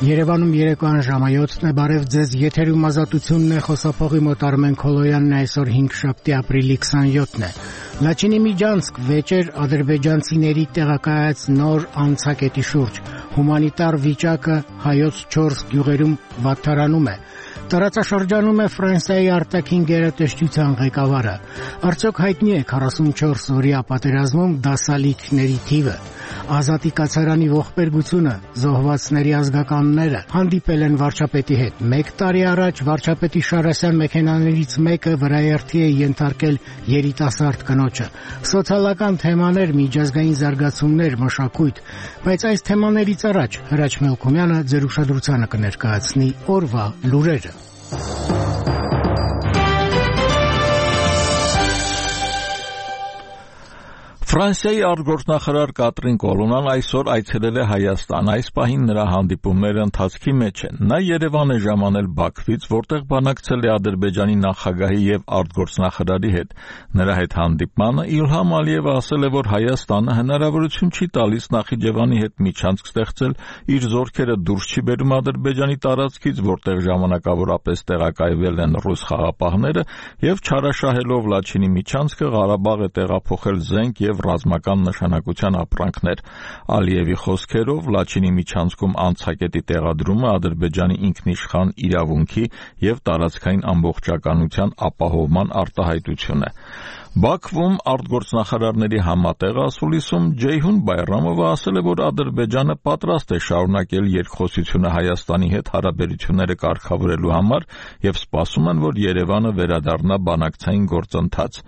Երևանում երեկոյան ժամը 7-ն է, բարև ձեզ, եթերում ազատությունն է, խոսափողի մոտ Արմեն Քոլոյանն է, այսօր 5 շաբթի ապրիլի 27-ն է։ Լաչինի Միջանցք վեճեր ադրբեջանցիների տեղակայած նոր անցակետի շուրջ, հումանիտար վիճակը հայոց 4 գյուղերում վատթարանում է։ Տարածաշրջանում է Ֆրանսիայի արտաքին գերատեսչության ղեկավարը։ Արդյոք հայտնի է 44 օրյա պատերազմում դասալիքների թիվը։ Ազատի կացարանի ողբերգությունը, զոհվածների ազգականները հանդիպել են վարչապետի հետ։ 1 տարի առաջ վարչապետի Շարասյան մեքենաներից մեկը վրաերթի է ենթարկել երիտասարդ կնոջը։ Սոցիալական թեմաներ, միջազգային զարգացումներ, մշակույթ, բայց այս թեմաներից առաջ Հրաչ Մելքումյանը ձեր ուշադրությանը կներկայացնի օրվա լուրերը։ Ֆրանսիայի արտգործնախարար Կատրին Կոլոնան այսօր այցելել է Հայաստան, այս պահին նրա հանդիպումները ընթացքի մեջ են։ Նա Երևան է ժամանել Բաքվից, որտեղ բանակցել է Ադրբեջանի նախագահի եւ արտգործնախարարի հետ։ Նրա հետ հանդիպմանը Իլհամ Ալիևը ասել է, որ Հայաստանը հնարավորություն չի տալիս Նախիջևանի հետ միջանցք ստեղծել, իր զորքերը դուրս չի բերում Ադրբեջանի տարածքից, որտեղ ժամանակավորապես տեղակայվել են ռուս խաղապահները, եւ չարաշահելով Լաչինի միջանցքը Ղարաբաղ է տեղափոխել զենք եւ ռազմական նշանակության ապրանքներ։ Ալիևի խոսքերով Լաչինի միջանցքում անցակետի տեղադրումը Ադրբեջանի ինքնիշխան իրավունքի եւ տարածքային ամբողջականության ապահովման արտահայտություն է։ Բաքվում արտգործնախարարների համատեղ ասուլիսում Ջեյհուն Բայրամովը ասել է, որ Ադրբեջանը պատրաստ է շարունակել երկխոսությունը Հայաստանի հետ հարաբերությունները կարգավորելու համար եւ սպասում են, որ Երևանը վերադառնա բանակցային գործընթաց։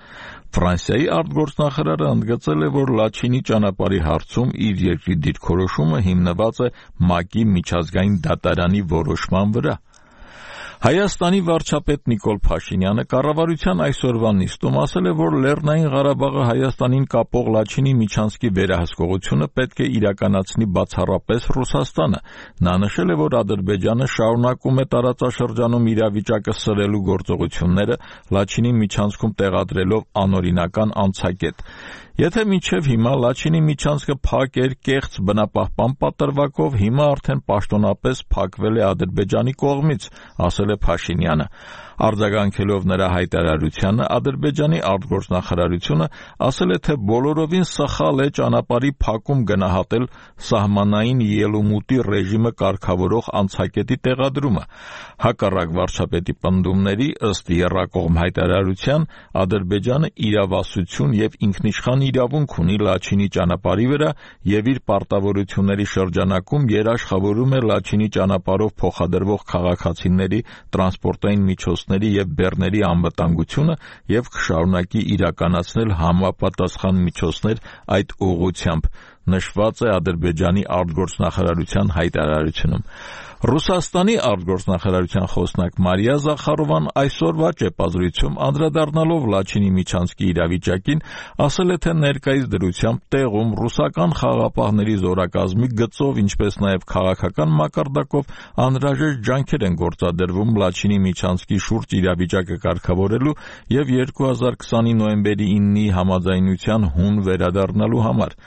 Ֆրանսիայի արտգործնախարարը ընդգծել է, որ Լաչինի ճանապարհի հարցում իր երկրի դիրքորոշումը հիմնված է ՄԱԿ-ի միջազգային դատարանի որոշման վրա։ Հայաստանի վարչապետ Նիկոլ Փաշինյանը կառավարության այսօրվա նիստում ասել է, որ Լեռնային Ղարաբաղը Հայաստանին կապող Լաչինի միջանցքի վերահսկողությունը պետք է իրականացնի բացառապես Ռուսաստանը։ Նա նշել է, որ Ադրբեջանը շարունակում է տարածաշրջանում իրավիճակը սրելու գործողությունները, Լաչինի միջանցքում տեղադրելով անօրինական անցակետ։ Եթե մինչև հիմա Լաչինի միջանցքը փակ էր կեղծ բնապահպան պատրվակով, հիմա արդեն պաշտոնապես փակվել է Ադրբեջանի կողմից, ասել է Փաշինյանը։ Արձագանքելով նրա հայտարարությանը, Ադրբեջանի արտգործնախարարությունը ասել է, թե բոլորովին սխալ է ճանապարհի փակում գնահատել սահմանային ելումուտի ռեժիմը կարգավորող անցակետի տեղադրումը։ Հակառակ վարչապետի պնդումների, ըստ եռակողմ հայտարարության, Ադրբեջանը իրավասություն եւ ինքնիշխան իրավունք ունի Լաչինի ճանապարհի վրա եւ իր պարտավորությունների շրջանակում երաշխավորում է Լաչինի ճանապարհով փոխադրվող քաղաքացիների տրանսպորտային միջոցների եւ բեռների անվտանգությունը եւ կշարունակի իրականացնել համապատասխան միջոցներ այդ ուղղությամբ, նշված է Ադրբեջանի արտգործնախարարության հայտարարությունում։ Ռուսաստանի արտգործնախարարության խոսնակ Մարիա Զախարովան այսօրվա ճեպազրույցում անդրադառնալով Լաչինի միջանցքի իրավիճակին ասել է, թե ներկայիս դրությամբ տեղում ռուսական խաղապահների զորակազմի գծով, ինչպես նաև քաղաքական մակարդակով անհրաժեշտ ջանքեր են գործադրվում Լաչինի միջանցքի շուրջ իրավիճակը կարգավորելու եւ 2020-ի նոյեմբերի 9-ի համաձայնության հուն վերադառնալու համար։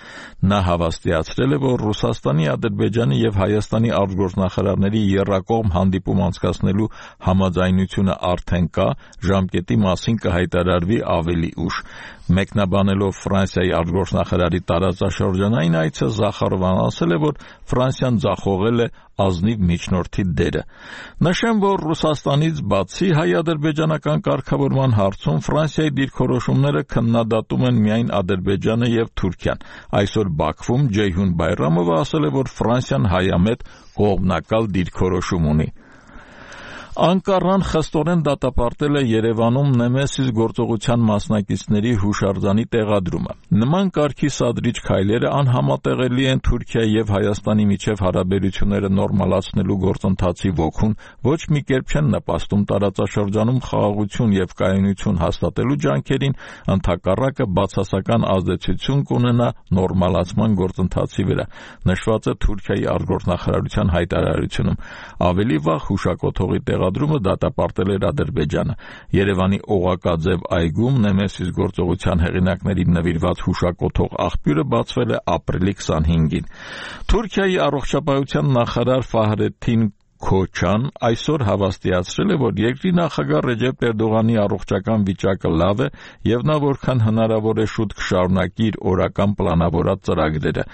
Նա հավաստիացրել է, որ Ռուսաստանի, Ադրբեջանի եւ Հայաստանի արտգործնախարարների եռակողմ հանդիպում անցկացնելու համաձայնությունը արդեն կա, ժամկետի մասին կհայտարարվի ավելի ուշ։ Մեկնաբանելով Ֆրանսիայի արտգործնախարարի տարածաշրջանային այցը, Զախարովան ասել է, որ Ֆրանսիան ձախողել է ազնիվ միջնորդի դերը։ Նշեմ, որ Ռուսաստանից բացի հայ-ադրբեջանական կարգավորման հարցում Ֆրանսիայի դիրքորոշումները քննադատում են միայն Ադրբեջանը եւ Թուրքիան։ Այսօր Բաքվում Ջեյհուն Բայրամովը ասել է, որ Ֆրանսիան հայամետ կողմնակալ դիրքորոշում ունի։ Անկարան խստորեն դատապարտել է Երևանում Նեմեսիս գործողության մասնակիցների հուշարձանի տեղադրումը։ Նման կարգի սադրիչ քայլերը անհամատեղելի են Թուրքիայի եւ Հայաստանի միջև հարաբերությունները նորմալացնելու գործընթացի ոգուն, ոչ մի կերպ չեն նպաստում տարածաշրջանում խաղաղություն եւ կայունություն հաստատելու ջանքերին, ընդհակառակը բացասական ազդեցություն կունենա նորմալացման գործընթացի վրա, նշված է Թուրքիայի արտգործնախարարության հայտարարությունում։ Ավելի վաղ հուշակոթողի ցուցադրումը դատապարտել էր Ադրբեջանը։ Երևանի Օղակաձև այգում Նեմեսիս գործողության հեղինակներին նվիրված հուշակոթող աղբյուրը բացվել է ապրիլի 25-ին։ Թուրքիայի առողջապահության նախարար Ֆահրեդդին Քոչան այսօր հավաստիացրել է, որ երկրի նախագահ Ռեջեփ Էրդողանի առողջական վիճակը լավ է եւ նա որքան հնարավոր է շուտ կշարունակի իր օրական պլանավորած ծրագրերը։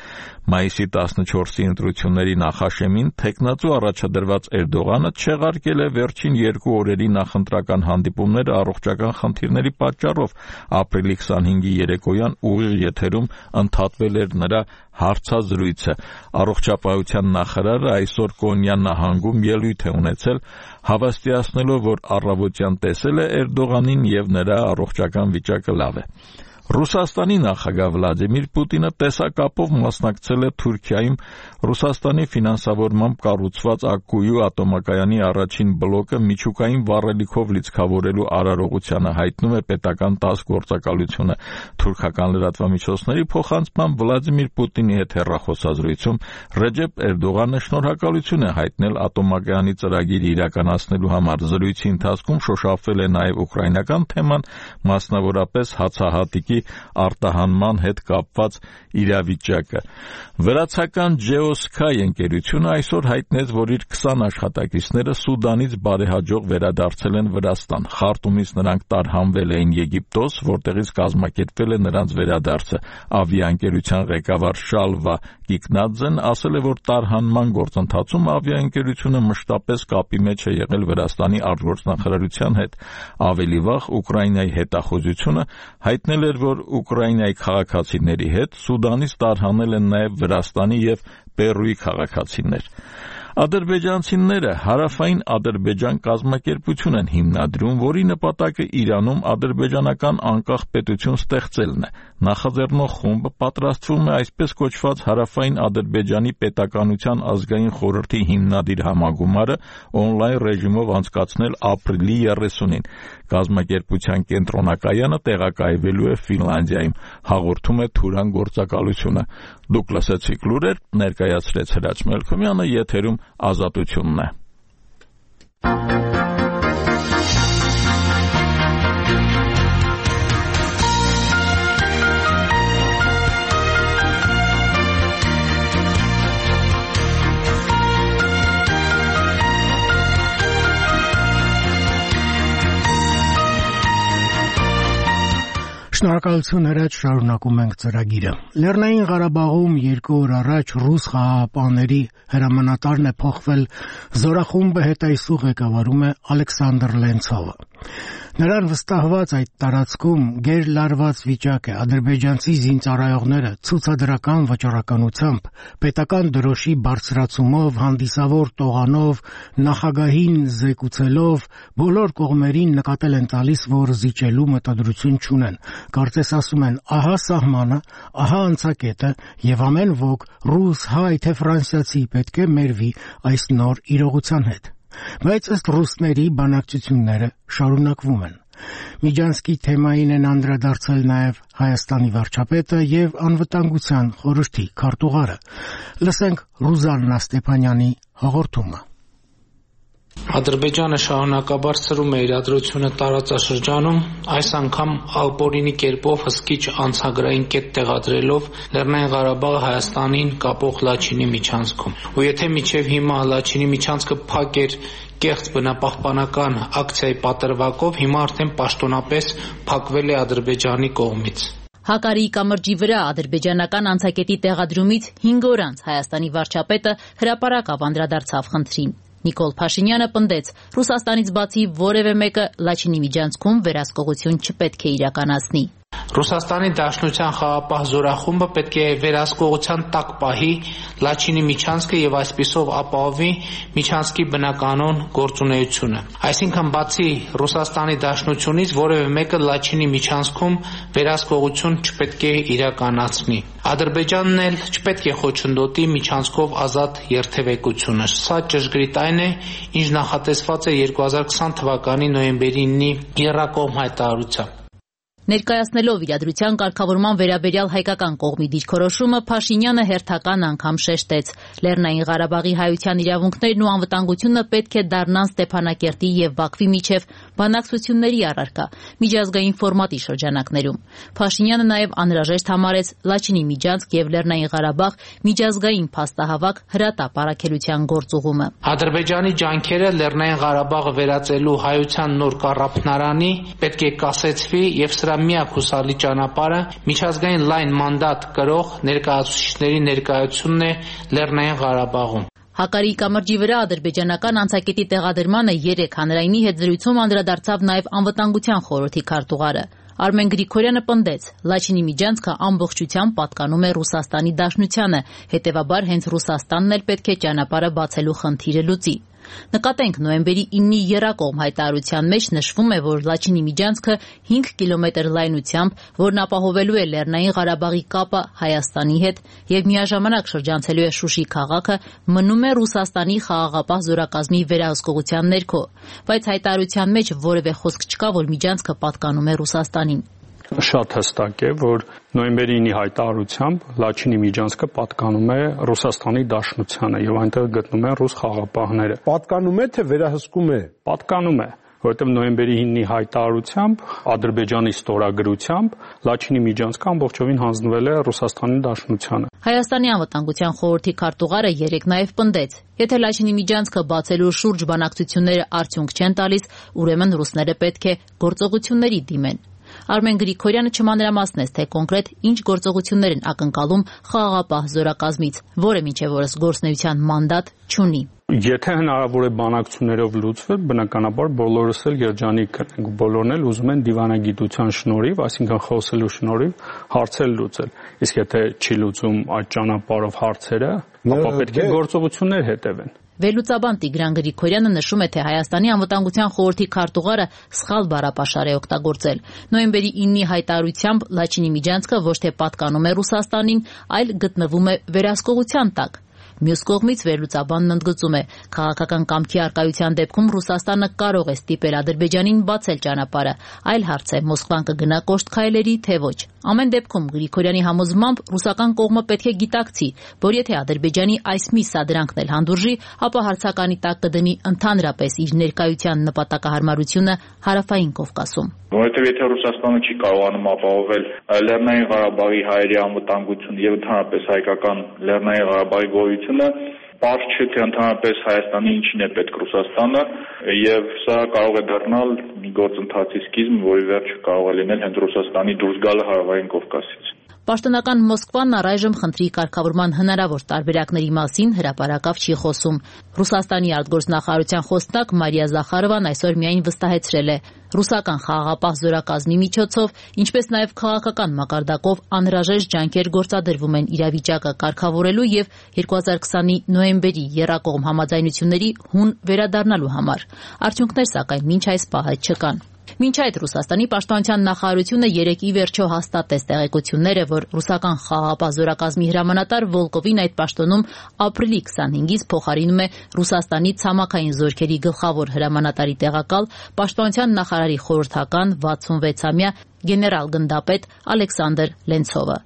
Մայիսի 14-ի ընտրությունների նախաշեմին թեկնածու առաջադրված Էրդողանը չեղարկել է վերջին 2 օրերի նախընտրական հանդիպումները առողջական խնդիրների պատճառով։ Ապրիլի 25-ի երեկոյան ուղիղ եթերում ընդհատվել էր նրա հարցազրույցը։ Առողջապահության նախարարը այսօր Կոնյան նահանգում ելույթ է ունեցել, հավաստիացնելով, որ առավոտյան տեսել է Էրդողանին եւ նրա առողջական վիճակը լավ է։ Ռուսաստանի նախագահ Վլադիմիր Պուտինը տեսակապով մասնակցել է Թուրքիայում Ռուսաստանի ֆինանսավորմամբ կառուցված Ակկույու ատոմակայանի առաջին բլոկը միջուկային վառելիքով լիցքավորելու արարողությանը, հայտնում է պետական ՏԱՍՍ գործակալությունը։ Թուրքական լրատվամիջոցների փոխանցմամբ Վլադիմիր Պուտինի հետ հեռախոսազրույցում Ռեջեփ Էրդողանը շնորհակալություն է հայտնել ատոմակայանի ծրագիրը իրականացնելու համար։ Զրույցի ընթացքում շոշափվել է նաև ուկրաինական թեման, մասնավորապես հացահատիկի արտահանման հետ կապված իրավիճակը։ Վրացական Geosky ընկերությունը այսօր հայտնեց, որ իր 20 աշխատակիցները Սուդանից բարեհաջող վերադարձել են Վրաստան։ Խարտումից նրանք տարհանվել էին Եգիպտոս, որտեղից կազմակերպվել է նրանց վերադարձը։ Ավիաընկերության ղեկավար Շալվա Կիկնաձեն ասել է, որ տարհանման գործընթացում ավիաընկերությունը մշտապես կապի մեջ է եղել Վրաստանի արտգործնախարարության հետ։ Ավելի վաղ Ուկրաինայի հետախուզությունը հայտնել էր, որ Ուկրաինայի քաղաքացիների հետ Սուդանից տարհանել են նաև Վրաստանի եւ Պերուի քաղաքացիներ։ Ադրբեջանցիները Հարավային Ադրբեջան կազմակերպություն են հիմնադրում, որի նպատակը Իրանում ադրբեջանական անկախ պետություն ստեղծելն է։ Նախաձեռնող խումբը պատրաստվում է այսպես կոչված Հարավային Ադրբեջանի պետականության ազգային խորհրդի հիմնադիր համագումարը օնլայն ռեժիմով անցկացնել ապրիլի 30-ին։ Կազմակերպության կենտրոնակայանը տեղակայվելու է Ֆինլանդիայում, հաղորդում է Թուրան գործակալությունը։ Դուք լսեցիք լուրեր, ներկայացրեց Հրաչ Մելքոմյանը, եթերում Ազատությունն է։ Շնորհակալություն Հրաչ, շարունակում ենք ծրագիրը։ Լեռնային Ղարաբաղում 2 օր առաջ ռուս խաղաղապահների հրամանատարն է փոխվել, զորախումբը հետայսուղ ղեկավարում է Ալեքսանդր Լենցովը։ Նրան վստահված այդ տարածքում գերլարված վիճակ է, ադրբեջանցի զինծառայողները ցուցադրական վճռականությամբ, պետական դրոշի բարձրացումով, հանդիսավոր տողանով, նախագահին զեկուցելով, բոլոր կողմերին նկատել են տալիս, որ զիջելու մտադրություն չունեն։ Կարծես ասում են, ահա սահմանը, ահա անցակետը եւ ամեն ոք ռուս, հայ թե ֆրանսիացի պետք է մերվի այս նոր իրողության հետ։ Բայց ըստ ռուսների բանակցությունները շարունակվում են։ Միջանցքի թեմային են անդրադարձել նաև Հայաստանի վարչապետը եւ անվտանգության խորհրդի քարտուղարը։ Լսենք Ռուզաննա Ստեփանյանի հաղորդումը։ Ադրբեջանը շարունակաբար սրում է իրադրությունը տարածաշրջանում, այս անգամ ալպորինի կերպով հսկիչ անցագրային կետ տեղադրելով Լեռնային Ղարաբաղը Հայաստանին կապող Լաչինի միջանցքում։ Ու եթե մինչև հիմա Լաչինի միջանցքը փակ էր կեղծ բնապահպանական ակցիայի պատրվակով, հիմա արդեն պաշտոնապես փակվել է Ադրբեջանի կողմից։ Հակարիի կամրջի վրա ադրբեջանական անցակետի տեղադրումից 5 օր անց Հայաստանի վարչապետը հրապարակավ անդրադարձավ խնդրին։ Նիկոլ Փաշինյանը պնդեց, Ռուսաստանից բացի որևէ մեկը Լաչինի միջանցքում վերահսկողություն չպետք է իրականացնի։ Ռուսաստանի Դաշնության խաղաղապահ զորախումբը պետք է վերահսկողության տակ պահի Լաչինի միջանցքը եւ այսպիսով ապահովի միջանցքի բնականոն գործունեությունը։ Այսինքն բացի Ռուսաստանի Դաշնությունից որևէ մեկը Լաչինի միջանցքում վերահսկողություն չպետք է իրականացնի։ Ադրբեջանն էլ չպետք է խոչընդոտի միջանցքով ազատ երթևեկությունը։ Սա ճշգրիտ այն է, ինչ նախատեսված է 2020 թվականի նոյեմբերի 9-ի եռակողմ հայտարարությամբ։ Ներկայացնելով իրադրության կարգավորման վերաբերյալ հայկական կողմի դիրքորոշումը, Փաշինյանը հերթական անգամ շեշտեց. Լեռնային Ղարաբաղի հայության իրավունքներն ու անվտանգությունը պետք է դառնան Ստեփանակերտի եւ Բաքվի միջև բանակցությունների առարկա, միջազգային ֆորմատի շրջանակներում։ Փաշինյանը նաեւ անհրաժեշտ համարեց Լաչինի Միջանցք եւ Լեռնային Ղարաբաղ միջազգային փաստահավաք հրատապ առաքելության գործուղումը։ Ադրբեջանի ջանքերը Լեռնային Ղարաբաղը վերածելու հայության նոր կառավարանի պետք է կասեցվի եւ սրա միակ հուսալի ճանապարհը միջազգային լայն մանդատ կրող ներկայացուցիչների ներկայությունն է Լեռնային Ղարաբաղում։ Հակարի կամրջի վրա ադրբեջանական անցակետի տեղադրմանը 3 հանրայինի հետ զրույցում անդրադարձավ նաև անվտանգության խորհրդի քարտուղարը։ Արմեն Գրիգորյանը պնդեց, Լաչինի Միջանցքը ամբողջությամբ պատկանում է Ռուսաստանի Դաշնությանը, հետևաբար հենց Ռուսաստանն էլ պետք է ճանապարհը բացելու խնդիրը լուծի։ Նկատենք նոյեմբերի 9-ի եռակողմ հայտարարության մեջ նշվում է, որ Լաչինի Միջանցքը 5 կիլոմետր լայնությամբ, որն ապահովելու է Լեռնային Ղարաբաղի կապը Հայաստանի հետ եւ միաժամանակ շրջանցելու է Շուշի քաղաքը, մնում է Ռուսաստանի խաղաղապահ զորակազմի վերահսկողության ներքո, բայց հայտարարության մեջ որևէ խոսք չկա, որ Միջանցքը պատկանում է Ռուսաստանին։ Շատ հստակ է, որ նոյեմբերի 9-ի հայտարարությամբ Լաչինի Միջանցքը պատկանում է Ռուսաստանի Դաշնությանը եւ այնտեղ գտնում են ռուս խաղապահները։ Պատկանում է թե վերահսկում է։ Պատկանում է, որովհետեւ նոյեմբերի 9-ի հայտարարությամբ Ադրբեջանի ստորագրությամբ Լաչինի Միջանցքը ամբողջովին հանձնվել է Ռուսաստանի Դաշնությանը։ Հայաստանի անվտանգության խորհրդի քարտուղարը երեկ նաև պնդեց. Եթե Լաչինի Միջանցքը բացելու շուրջ բանակցությունները արդյունք չեն տալիս, ուրեմն ռուսները պետք է գործողությունների դիմեն։ Արմեն Գրիգորյանը չմանրամասնեց, թե կոնկրետ ինչ գործողություններ են ակնկալում խաղաղապահ զորակազմից, որը մինչև օրս գործնեության մանդատ չունի։ Եթե հնարավոր է բանակցություններով լուծվել, բնականաբար բոլորս էլ երջանիկ կնենք, բոլորն էլ ուզում են դիվանագիտության շնորհիվ, այսինքն խոսելու շնորհիվ հարցեր լուծել։ Իսկ եթե չի լուծում այդ ճանապարհով հարցերը, ապա պետք է գործողություններ հետևեն։ Վերլուծաբան Տիգրան Գրիգորյանը նշում է, թե Հայաստանի անվտանգության խորհրդի քարտուղարը սխալ բառապաշար է օգտագործել։ Նոյեմբերի 9-ի հայտարարությամբ Լաչինի Միջանցքը ոչ թե պատկանում է Ռուսաստանին, այլ գտնվում է վերահսկողության տակ։ Մյուս կողմից վերլուծաբանն ընդգծում է, քաղաքական կամքի առկայության դեպքում Ռուսաստանը կարող է ստիպել Ադրբեջանին բացել ճանապարհը, այլ հարց է Մոսկվան կգնա կոշտ քայլերի, թե ոչ։ Ամեն դեպքում Գրիգորյանի համոզմամբ ռուսական կողմը պետք է գիտակցի, որ եթե Ադրբեջանի այս մի սադրանքն էլ հանդուրժի, ապա հարցականի տակ կդնի ընդհանրապես իր ներկայության նպատակահարմարությունը Հարավային Կովկասում։ Որովհետև եթե Ռուսաստանը չի կարողանում ապահովել Լեռնային Ղարաբաղի հայերի անվտանգություն եւ ընդհանրապես հայկական Լեռնային Ղարաբաղի գոյությունը, պարզ չէ թե ընդհանրապես Հայաստանի ինչին է պետք Ռուսաստանը եւ սա կարող է դառնալ մի գործընթացի սկիզբ, որի վերջը կարող է լինել հենց Ռուսաստանի դուրս գալը Հարավային Կովկասից։ Պաշտոնական Մոսկվան առայժմ խնդրի կարգավորման հնարավոր տարբերակների մասին հրապարակավ չի խոսում։ Ռուսաստանի արտգործնախարարության խոսնակ Մարիա Զախարովան այսօր միայն վստահեցրել է. ռուսական խաղաղապահ զորակազմի միջոցով, ինչպես նաև քաղաքական մակարդակով անհրաժեշտ ջանքեր գործադրվում են իրավիճակը կարգավորելու եւ 2020-ի նոյեմբերի եռակողմ համաձայնությունների հուն վերադառնալու համար։ Արդյունքներ սակայն մինչ այս պահը չկան։ Մինչ այդ Ռուսաստանի պաշտպանության նախարարությունը երեկ ի վերջո հաստատեց տեղեկությունները, որ ռուսական խաղաղապահ զորակազմի հրամանատար Վոլկովին այդ պաշտոնում ապրիլի 25-ից փոխարինում է Ռուսաստանի ցամաքային զորքերի գլխավոր հրամանատարի տեղակալ պաշտպանության նախարարի խորհրդական 66-ամյա գեներալ-գնդապետ Ալեքսանդր Լենցովը։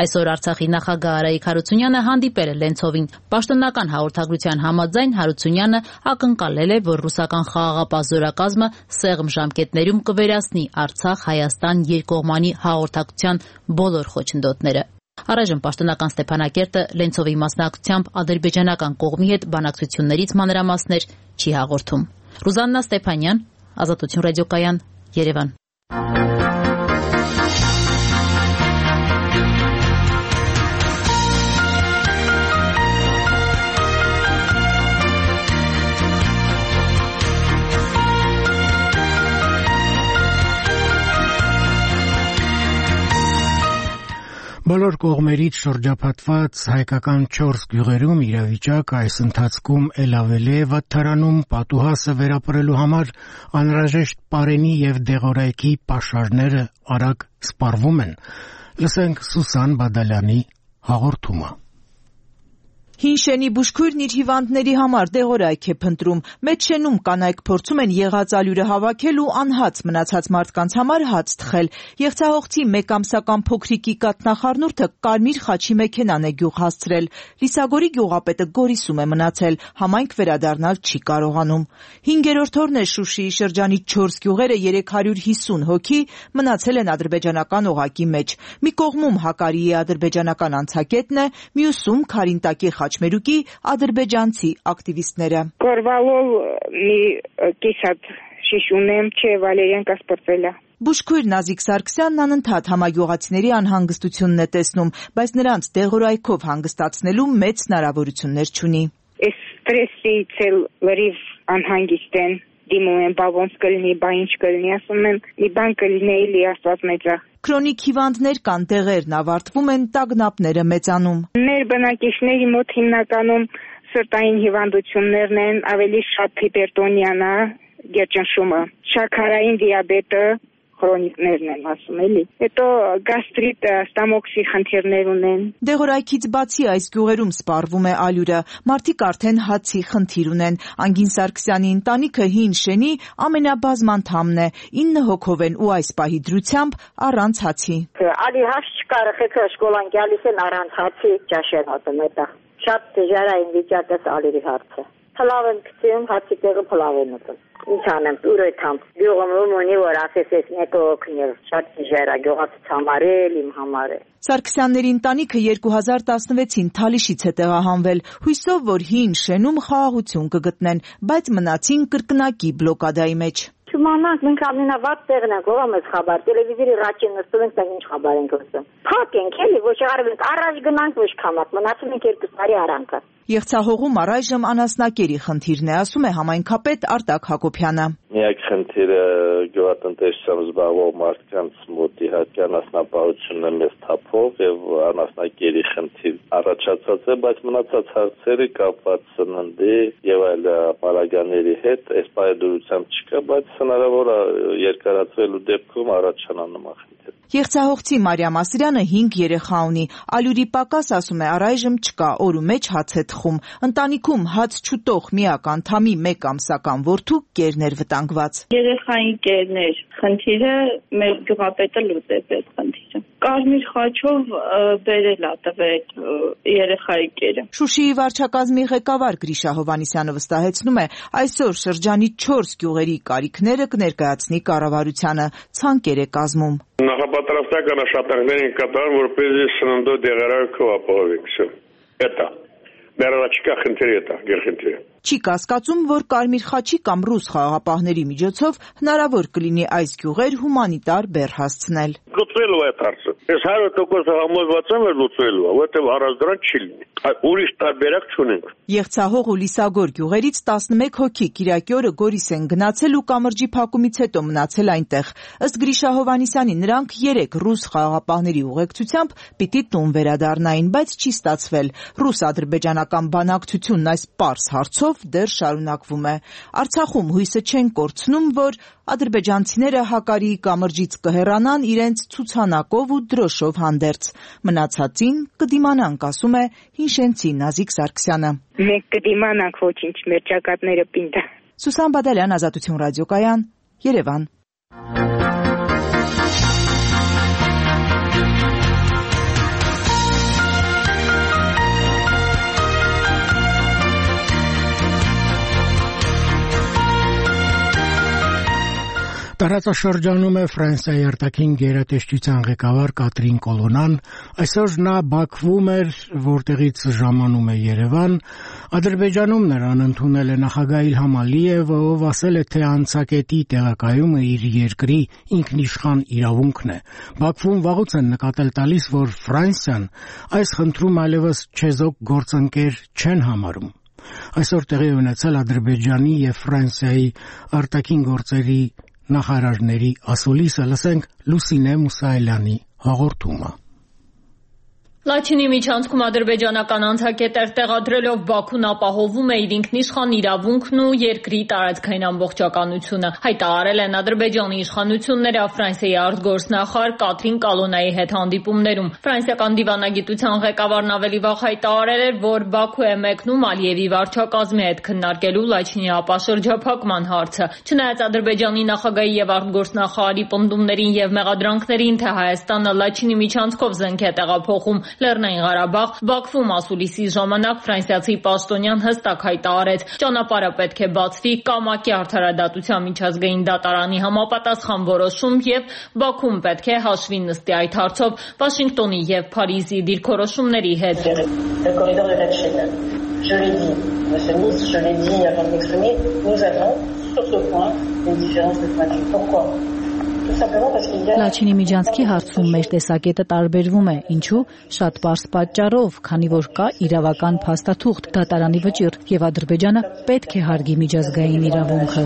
Այսօր Արցախի նախագահ Արայիկ Հարությունյանը հանդիպել է Լենցովին։ Պաշտոնական հաղորդագրության համաձայն Հարությունյանը ակնկալել է, որ ռուսական խաղաղապահ զորակազմը սեղմ ժամկետներում կվերացնի Արցախ-Հայաստան երկկողմանի հաղորդակցության բոլոր խոչընդոտները։ Առայժմ պաշտոնական Ստեփանակերտը Լենցովի մասնակցությամբ ադրբեջանական կողմի հետ բանակցություններից մանրամասներ չի հաղորդում։ Ռուզաննա Ստեփանյան, Ազատություն ռադիոկայան, Երևան։ Բոլոր կողմերից շրջապատված հայկական 4 գյուղերում իրավիճակը այս ընթացքում էլ ավելի է վատթարանում, պատուհասը վերապրելու համար անհրաժեշտ պարենի եւ դեղորայքի պաշարները արագ սպառվում են։ Լսենք Սուսան Բադալյանի հաղորդումը։ Հին շենի բուժքույրն իր հիվանդների համար դեղորայք է փնտրում։ Մեծ շենում կանայք փորձում են եղած ալյուրը հավաքել ու անհաց մնացած մարդկանց համար հաց թխել։ Եղցահողցի մեկ ամսական փոքրիկի կաթնախառնուրդը Կարմիր խաչի մեքենան է գյուղ հասցրել։ Լիսագորի գյուղապետը Գորիսում է մնացել, համայնք վերադառնալ չի կարողանում։ 5-րդ օրն է Շուշիի շրջանի 4 գյուղերը 350 հոգի մնացել են ադրբեջանական օղակի մեջ։ Մի կողմում Հակարիի ադրբեջանական անցակետն է, մյուսում Քարինտակի խաչմերուկի ադրբեջանցի ակտիվիստները։ Կորվալով մի կիսատ շիշ ունեմ, չէ Վալերյանկա սպրծելա։ Բուժքույր Նազիկ Սարգսյանն անընդհատ համագյուղացիների անհանգստությունն է տեսնում, բայց նրանց դեղորայքով հանգստացնելու մեծ հնարավորություններ չունի։ Այս ստրեսից էլ լրիվ անհանգիստ են, դիմում են, բա ոնց կլինի, բա ինչ կլինի, ասում են, մի բան կլինի, էլի Աստված մեծա։ Քրոնիկ հիվանդներ կան, տեղերն ավարտվում են, տագնապները մեծանում։ Մեր բնակիչների մոտ հիմնականում սրտային հիվանդություններն են, ավելի շատ հիպերտոնիան է, գերճնշումը, շաքարային դիաբետը, քրոնիկներն են ասում էլի։ Հետո գաստրիտը, ստամոքսի խնդիրներ ունեն։ Դեղորայքից բացի այս գյուղերում սպառվում է ալյուրը, մարդիկ արդեն հացի խնդիր ունեն։ Անգին Սարգսյանի ընտանիքը հին շենի ամենաբազմ անդամն է, 9 հոգով են ու այս պահի դրությամբ առանց հացի։ Ալի հաց չկար, խեցը շկոլան գալիս են առանց հացի ճաշեն ատում էտա։ Շատ դժվարային վիճակը ալի հարցը։ Փլավ են գցում, հացի տեղը փլավ են ուտում։ Ինչ անեմ, ուր եմ։ Գյուղում ունի որ ասես ես մեկը օգնել, շատ դժվար է գյուղացից համար էլ, իմ համար էլ։ Սարգսյանների ընտանիքը 2016-ին Թալիշից է տեղահանվել, հույսով, որ հին շենում խաղաղություն կգտնեն, բայց մնացին կրկնակի բլոկադայի մեջ։ Չումանանք, մենք ամենավատ տեղն ենք, ով ամես խաբար, տելևիզորի ռաչին նստում ենք, մենք ինչ խաբար ենք լսում։ Փակ ենք, էլի, ոչ արվենք, առաջ գնանք, ոչ քամակ, մնացում ենք 2 տարի արանքը։ Եղցահողում առայժմ անասնակերի խնդիրն է, ասում է համայնքապետ Արտակ Հակոբյանը։ Միակ խնդիրը գյուղատնտեսությամբ զբաղվող մարդկանց մոտ իհարկե անասնապահությունն է մեծ թափով եւ անասնակերի խնդիր առաջացած է, բայց մնացած հարցերը կապված սննդի եւ այլ պարագաների հետ այս պայմանությամբ չկա, բայց հնարավոր է երկարացվելու դեպքում առաջանա նման խնդիր։ Եղցահողցի Մարիամ Ասրյանը 5 երեխա ունի, ալյուրի պակաս ասում է առայժմ չկա, օրու մեջ հաց է թխում։ Ընտանիքում հաց չուտող միակ անդամի 1 ամսական որդու կերն էր վտանգված։ Երեխային կերներ, խնդիրը մեր գյուղապետը լուծեց այդ խնդիրը։ Կարմիր խաչով բերել է տվել երեխայի կերը։ Շուշիի վարչակազմի ղեկավար Գրիշա Հովհաննիսյանը վստահեցնում է, այսօր շրջանի 4 գյուղերի կարիքները կներկայացնի կառավարությանը, ցանկեր է կազմում։ Նախապատրաստական աշխատանքներ են կատարում, որպեսզի սննդով դեղորայքով ապահովենք։ Էտա։ Դեռ խնդիրը է, գերխնդիրը։ Չի կասկածում, որ Կարմիր խաչի կամ ռուս խաղաղապահների միջոցով հնարավոր կլինի այս գյուղեր հումանիտար բեռ հասցնել։ Լուծվելու է հարցը։ Ես 100% համոզված եմ, որ լուծվելու է, որտեղ առանց դրան չի լինի։ Ուրիշ տարբերակ չունենք։ Եղցահող ու Լիսագոր գյուղերից 11 հոգի Կիրակի օրը Գորիս են գնացել ու կամրջի փակումից հետո մնացել այնտեղ։ Ըստ Գրիշա Հովհաննիսյանի նրանք 3 ռուս խաղաղապահների ուղեկցությամբ պիտի տուն վերադառնային, բայց չի ստացվել։ Ռուս-ադրբեջանական բանակցությունն այս պարզ հարցով դեռ շարունակվում է։ Արցախում հույսը չեն կորցնում, որ ադրբեջանցիները Հակարիի կամրջից կհեռանան իրենց ցուցանակով ու դրոշով հանդերձ։ Մնացածին կդիմանանք, ասում է հինշենցի Նազիկ Սարգսյանը։ Մենք կդիմանանք, ոչինչ, մեր ճակատները պինդ։ Սուսան Բադալյան, Ազատություն ռադիոկայան, Երևան։ Տարածաշրջանում է Ֆրանսիայի արտաքին գերատեսչության ղեկավար Կատրին Կոլոնան, այսօր նա Բաքվում էր, որտեղից ժամանում է Երևան, Ադրբեջանում նրան ընդունել է նախագահ Իլհամ Ալիևը, ով ասել է, թե անցակետի տեղակայումը իր երկրի ինքնիշխան իրավունքն է։ Բաքվում վաղուց են նկատել տալիս, որ Ֆրանսիան այս խնդրում այլևս չեզոք գործընկեր չեն համարում։ Այսօր տեղի ունեցել Ադրբեջանի եւ Ֆրանսիայի արտաքին գործերի նախարարների ասուլիսը, լսենք Լուսինե Մուսայելյանի հաղորդումը։ Լաչինի միջանցքում ադրբեջանական անցակետեր տեղադրելով Բաքուն ապահովում է իր ինքնիշխան իրավունքն ու երկրի տարածքային ամբողջականությունը։ Հայտարարել են Ադրբեջանի իշխանությունները Ֆրանսիայի արտգործնախարար Կատրին Կալոնայի հետ հանդիպումներում։ Ֆրանսիական դիվանագիտության ղեկավարն ավելի վաղ հայտարարել էր, որ Բաքու է մեկնում Ալիևի վարչակազմի հետ քննարկելու Լաչինի ապաշրջափակման հարցը։ Չնայած Ադրբեջանի նախագահի եւ արտգործնախարարի պնդումներին եւ մեղադրանքներին, թե Հայաստանը Լաչինի միջանցքով զենք է տեղափոխում Լեռնային Ղարաբաղ, Բաքվում ասուլիսի ժամանակ ֆրանսիացի պաշտոնյան հստակ հայտարարեց, ճանապարհը պետք է բացվի Կամակի արդարադատության միջազգային դատարանի համապատասխան որոշում եւ Բաքուն պետք է հաշվի նստի այդ հարցով Վաշինգտոնի եւ Փարիզի դիրքորոշումների հետ։ Je l'ai dit, monsieur le ministre, je l'ai dit avant de m'exprimer, nous avons sur ce point une différence de point de vue. Pourquoi? Լաչինի միջանցքի հարցում մեր տեսակետը տարբերվում է, ինչու շատ պարզ պատճառով, քանի որ կա իրավական փաստաթուղթ, դատարանի վճիռ եւ Ադրբեջանը պետք է հարգի միջազգային իրավունքը։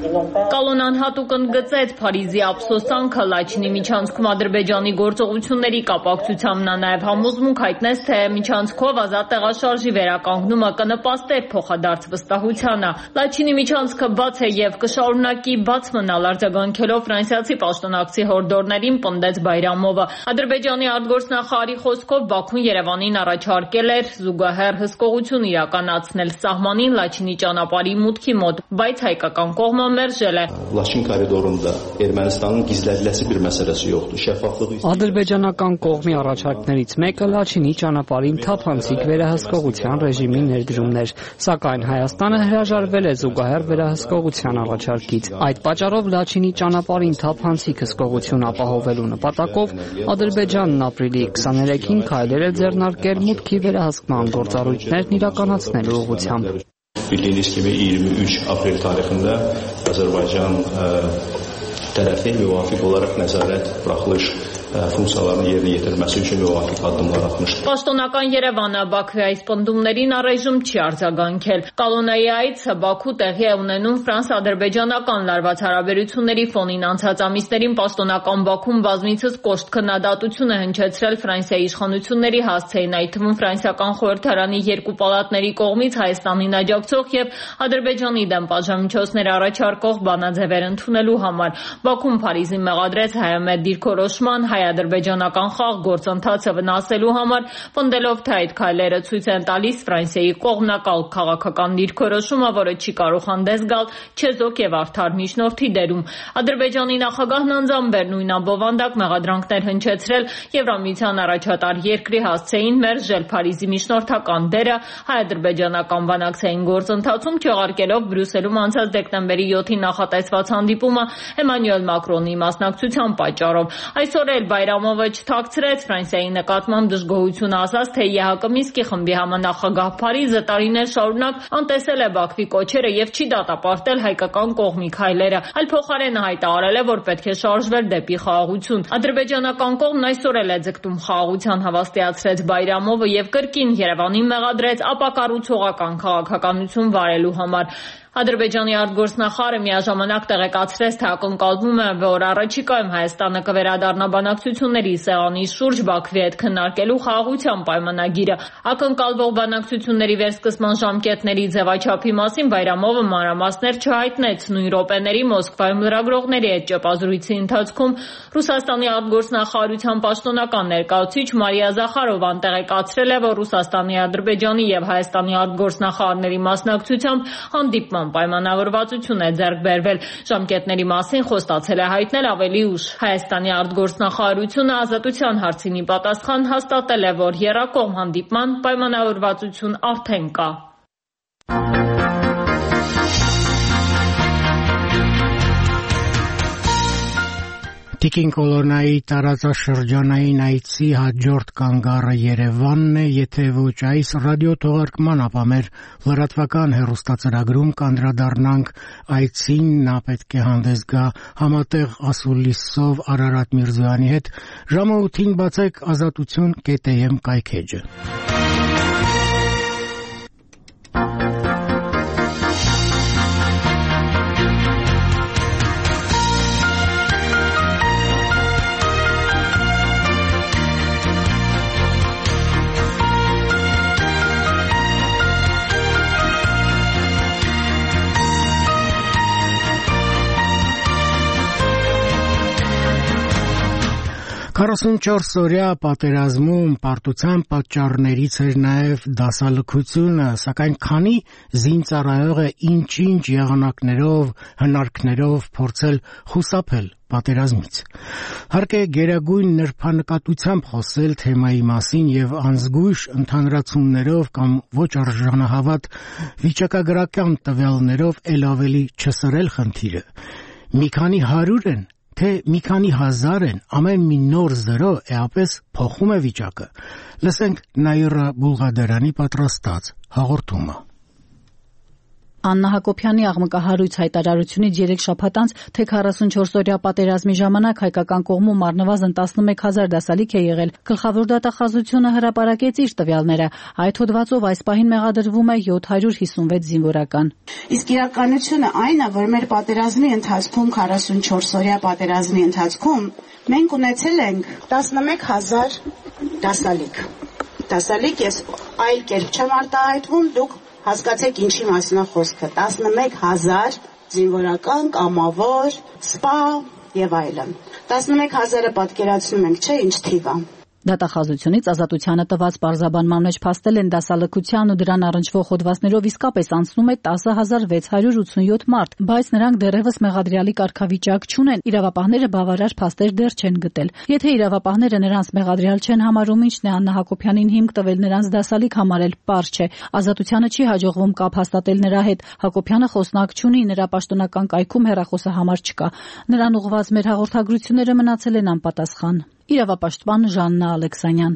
Կալոնան հատուկ ընդգծեց Փարիզի ափսոսանքը Լաչինի միջանցքում Ադրբեջանի գործողությունների կապակցությամբ նա նաև համոզմունք հայտնեց, թե միջանցքով ազատ տեղաշարժի վերականգնումը կնպաստեր փոխադարձ վստահությանը։ Լաչինի միջանցքը բաց է եւ կշարունակի բաց մնալ, արձագանքելով ֆրանսիացի պաշտոնակցի հորդորներին, պնդեց Բայրամովը։ Ադրբեջանի արտգործնախարարի խոսքով Բաքուն Երևանին առաջարկել էր զուգահեռ հսկողություն իրականացնել սահմանին Լաչինի ճանապարհի մուտքի մոտ, բայց հայկական կողմը Լաչին կորիդորunda Ermənistanın gizlədiləsi bir məsələsi yoxdur. Şəffaflığı Ադրբեջանական կողմի առաջարկներից մեկը Լաչինի ճանապարհին թափանցիկ վերահսկողության ռեժիմի ներդրումն էր, սակայն Հայաստանը հրաժարվել է զուգահեռ վերահսկողության առաջարկից։ Այդ պատճառով Լաչինի ճանապարհին թափանցիկ հսկողություն ապահովելու նպատակով Ադրբեջանն ապրիլի 23-ին քայլեր է ձեռնարկել մուտքի վերահսկման գործառույթներն իրականացնելու ուղղությամբ։ Bildiyiniz kimi 23 aprel tarixində Azərbaycan tərəfi müvafiq olaraq nəzarət buraxılış ֆունկցիաların yerine yetirməsi üçün müvafiq addımlar atmışdı. Պաշտոնական Երևանը Բաքվի այս պնդումներին առայժմ չի արձագանքել։ Կալոնայի այցը Բաքու տեղի է ունենում ֆրանս-ադրբեջանական լարված հարաբերությունների ֆոնին անցած ամիսներին պաշտոնական Բաքուն բազմիցս կոշտ քննադատություն է հնչեցրել Ֆրանսիայի իշխանությունների հասցեին, այդ թվում ֆրանսիական խորհրդարանի երկու պալատների կողմից Հայաստանին աջակցող եւ Ադրբեջանի դեմ պատժամիջոցներ առաջարկող բանաձևեր ընդունելու համար։ Բաքուն Փարիզին մեղադրեց հայամետ դիրքորոշման հայ-ադրբեջանական խաղ գործընթացը վնասելու համար, պնդելով, թե այդ քայլերը ցույց են տալիս Ֆրանսիայի կողմնակալ քաղաքական դիրքորոշումը, որը չի կարող հանդես գալ չեզոք եւ արդար միջնորդի դերում։ Ադրբեջանի նախագահն անձամբ նույն ամբովանդակ մեղադրանքներ հնչեցրել Եվրամիության առաջատար երկրի հասցեին մերժել Փարիզի միջնորդական դերը հայ-ադրբեջանական բանակցային գործընթացում, չեղարկելով Բրյուսելում անցած դեկտեմբերի 7-ին նախատեսված հանդիպումը Էմանուել Մակրոնի մասնակցության պատճառով։ Այսօր էլ Բայրամովը չթաքցրեց Ֆրանսիայի նկատմամբ դժգոհություն ասաց, թե ԵՀԿ Մինսկի խմբի համանախագահ Փարիզը տարիներ շարունակ անտեսել է Բաքվի կոչերը եւ չի դատապարտել հայկական կողմի քայլերը, այլ փոխարենը հայտարարել է, որ պետք է շարժվել դեպի խաղաղություն։ Ադրբեջանական կողմն այսօր էլ է ձգտում խաղաղության, հավաստիացրեց Բայրամովը եւ կրկին Երևանին մեղադրեց ապակառուցողական քաղաքականություն վարելու համար։ Ադրբեջանի արտգործնախարարը միաժամանակ տեղեկացրեց, թե ակնկալվում է, որ առաջիկայում Հայաստանը կվերադառնա բանակցությունների սեղանի շուրջ Բաքվի հետ քննարկելու խաղաղության պայմանագիրը։ Ակնկալվող բանակցությունների վերսկսման ժամկետների ձևաչափի մասին Բայրամովը մանրամասներ չհայտնեց։ Նույն րոպեների Մոսկվայում լրագրողների հետ ճեպազրույցի ընթացքում Ռուսաստանի արտգործնախարարության պաշտոնական ներկայացուցիչ Մարիա Զախարովան տեղեկացրել է, որ Ռուսաստանի, Ադրբեջանի եւ Հայաստանի արտգործնախարարների մասնակցությամբ հանդիպման պայմանավորվածություն է ձեռք բերվել։ Ժամկետների մասին խոստացել է հայտնել ավելի ուշ։ Հայաստանի արտգործնախարարությունը ազատության հարցին ի պատասխան հաստատել է, որ եռակողմ հանդիպման պայմանավորվածություն արդեն կա։ Տիկին Կոլոնայի տարածաշրջանային այցի հաջորդ կանգառը Երևանն է, եթե ոչ այս ռադիոթողարկման, ապա մեր լրատվական հեռուստածրագրում կանդրադառնանք այցին, նա պետք է հանդես գա համատեղ ասուլիսով Արարատ Միրզոյանի հետ, ժամը 8-ին բացեք azatutun.am կայքեջը։ 44-օրյա պատերազմում պարտության պատճառներից էր նաև դասալքությունը, սակայն քանի զինծառայող է ինչ-ինչ եղանակներով, հնարքներով փորձել խուսափել պատերազմից։ Հարկ է գերագույն նրբանկատությամբ խոսել թեմայի մասին եւ անզգույշ ընդհանրացումներով կամ ոչ արժանահավատ վիճակագրական տվյալներով ել ավելի չսրել խնդիրը։ Մի քանի 100 են, թե մի քանի 1000 են, ամեն մի նոր զրո էապես փոխում է վիճակը։ Լսենք Նաիրա Բուլղադարյանի պատրաստած հաղորդումը։ Աննա Հակոբյանի աղմկահարույց հայտարարությունից 3 շաբաթ անց, թե 44-օրյա պատերազմի ժամանակ հայկական կողմում առնվազն 11000 դասալիք է եղել, գլխավոր դատախազությունը հրապարակեց իր տվյալները։ Այդ հոդվածով այս պահին մեղադրվում է 756 զինվորական։ Իսկ իրականությունը այն է, որ մեր պատերազմի ընթացքում 44-օրյա պատերազմի ընթացքում մենք ունեցել ենք 11000 դասալիք։ Դասալիք ես այլ կերպ չեմ արտահայտվում, դուք հասկացեք ինչի մասին է խոսքը։ 11000 զինվորական, կամավոր, սպա եւ այլն։ 11000-ը պատկերացնում ենք, չէ՞, ինչ թիվ է։ Դատախազությունից ազատությանը տված պարզաբանման մեջ փաստել են դասալքության ու դրան առնչվող հոդվածներով իսկապես անցնում է 10687 մարդ, բայց նրանք դեռևս մեղադրյալի կարգավիճակ չունեն, իրավապահները բավարար փաստեր դեռ չեն գտել։ Եթե իրավապահները նրանց մեղադրյալ չեն համարում, ինչն է Աննա Հակոբյանին հիմք տվել նրանց դասալիք համարել, պարզ չէ։ Ազատությանը չի հաջողվում կապ հաստատել նրա հետ։ Հակոբյանը խոսնակ չունի, նրա պաշտոնական կայքում հեռախոսահամար չկա։ Նրան ուղղված մեր հաղորդագրությունները մնացել են անպատասխան։ Իրավապաշտպան Ժաննա Ալեքսանյան։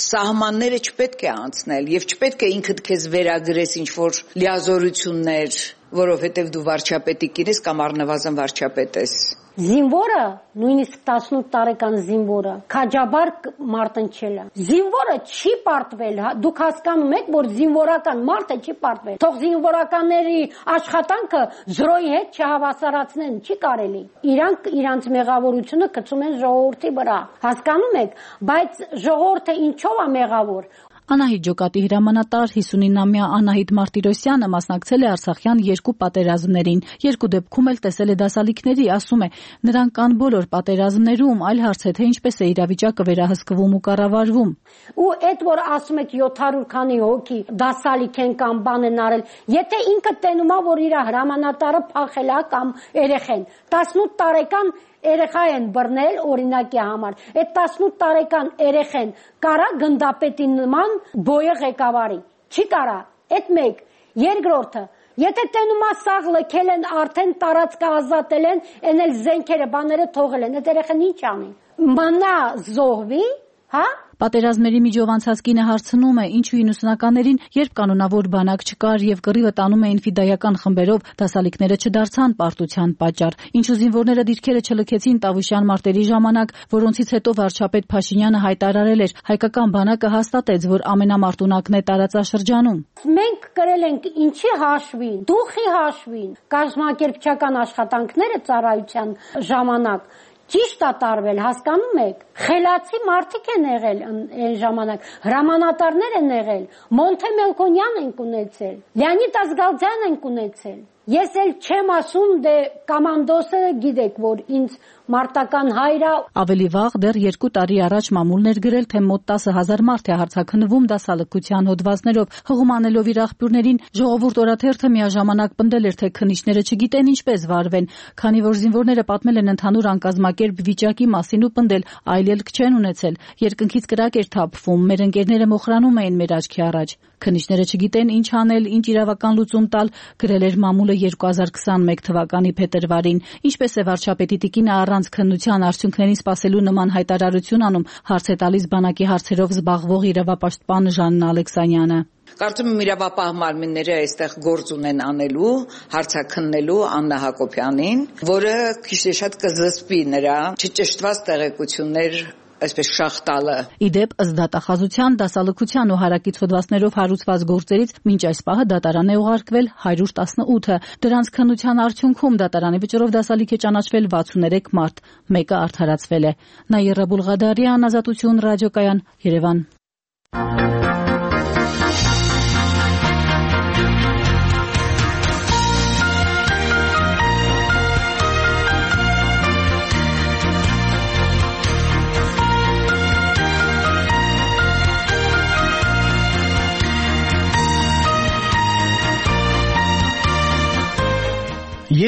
Սահմանները չպետք է անցնել եւ չպետք է ինքդ քեզ վերագրես ինչ-որ լիազորություններ, որովհետեւ դու վարչապետի կին ես կամ առնվազն վարչապետ ես։ Զինվորը, նույնիսկ 18 տարեկան զինվորը, քաջաբար մարտնչել է։ Զինվորը չի պարտվել, դուք հասկանում եք, որ զինվորական մարդը չի պարտվել։ Թող զինվորականների աշխատանքը զրոյի հետ չհավասարացնեն, չի կարելի։ Իրանք իրանց մեղավորությունը գցում են ժողովրդի վրա։ Հասկանում եք, բայց ժողովուրդը ինչով է մեղավոր։ Անահիտ Ջոկատի հրամանատար 59-ամյա Անահիտ Մարտիրոսյանը մասնակցել է Արցախյան 2 պատերազմներին։ 2 դեպքում էլ տեսել է դասալիքների, ասում է, նրանք կան բոլոր պատերազմներում, այլ հարց է, թե ինչպես է իրավիճակը վերահսկվում ու կառավարվում։ Ու այդ որ ասում եք 700 քանի հոգի դասալիք են կամ բան են արել, եթե ինքը տենում է, որ իր հրամանատարը փախել է կամ երեխեն, 18 տարեկան երեխա են բռնել օրինակի համար։ Այդ 18 տարեկան երեխեն կարա գնդապետի նման բոյը ղեկավարի։ Չի կարա։ Այդ մեկ։ Երկրորդը, եթե տենում է սաղ լքել են, արդեն տարածքը ազատել են, են էլ զենքերը, բաները թողել են, այդ երեխան ինչ անի։ Մնա զոհվի, հա։ Պատերազմների միջով անցած կինը հարցնում է, ինչու 90-ականներին, երբ կանոնավոր բանակ չկար եւ կռիվը տանում էին ֆիդայական խմբերով, դասալիքները չդարձան պարտության պատճառ։ Ինչու զինվորները դիրքերը չլքեցին Տավուշյան մարտերի ժամանակ, որոնցից հետո վարչապետ Փաշինյանը հայտարարել էր, հայկական բանակը հաստատեց, որ ամենամարտունակն է տարածաշրջանում։ Մենք կրել ենք ինչի հաշվին, դուխի հաշվին, կազմակերպչական աշխատանքները ծառայության ժամանակ ճիշտ է տարվել, հասկանում եք։ Խելացի մարդիկ են եղել այն ժամանակ, հրամանատարներ են եղել, Մոնթե Մելքոնյան են ունեցել, Լեոնիդ Ազգալձյան են ունեցել։ Ես էլ չեմ ասում, դե կոմանդոսը գիտեք, որ ինձ մարտական հայրը։ Ավելի վաղ դեռ 2 տարի առաջ մամուլն էր գրել, թե մոտ 10,000 մարդ է հարձակնվում դասալքության հոդվածներով, հղումանելով իր աղբյուրներին, ժողովուրդ օրաթերթը միաժամանակ պնդել էր, թե քննիչները չգիտեն ինչպես վարվեն, քանի որ զինվորները պատմել են ընդհանուր անկազմակերպ վիճակի մասին ու պնդել, այլ ելք չեն ունեցել, երկնքից կրակ էր թափվում, մեր ընկերները մոխրանում էին մեր աչքի առաջ։ Քննիչները չգիտեն ինչ անել, ինչ իրավական լուծում տալ, գրել էր մամուլը 2021 թվականի փետրվարին։ Ինչպես է վարչապետի տիկինը առանց քննության արդյունքներին սպասելու նման հայտարարություն անում, հարց է տալիս բանակի հարցերով զբաղվող իրավապաշտպան Ժաննա Ալեքսանյանը։ Կարծում եմ իրավապահ մարմինները այստեղ գործ ունեն անելու, հարցաքննելու Աննա Հակոբյանին, որը քիչ թե շատ կզսպի նրա չճշտված տեղեկություններ այսպես շախտալը։ Իդեպ ըստ դատախազության, դասալքության ու հարակից հոդվածներով հարուցված գործերից մինչ այս պահը դատարան է ուղարկվել 118-ը։ Դրանց քննության արդյունքում դատարանի վճռով դասալիք է ճանաչվել 63 մարդ, մեկը արդարացվել է։ Նաիրա Բուլղադարյան, Ազատություն ռադիոկայան, Երևան։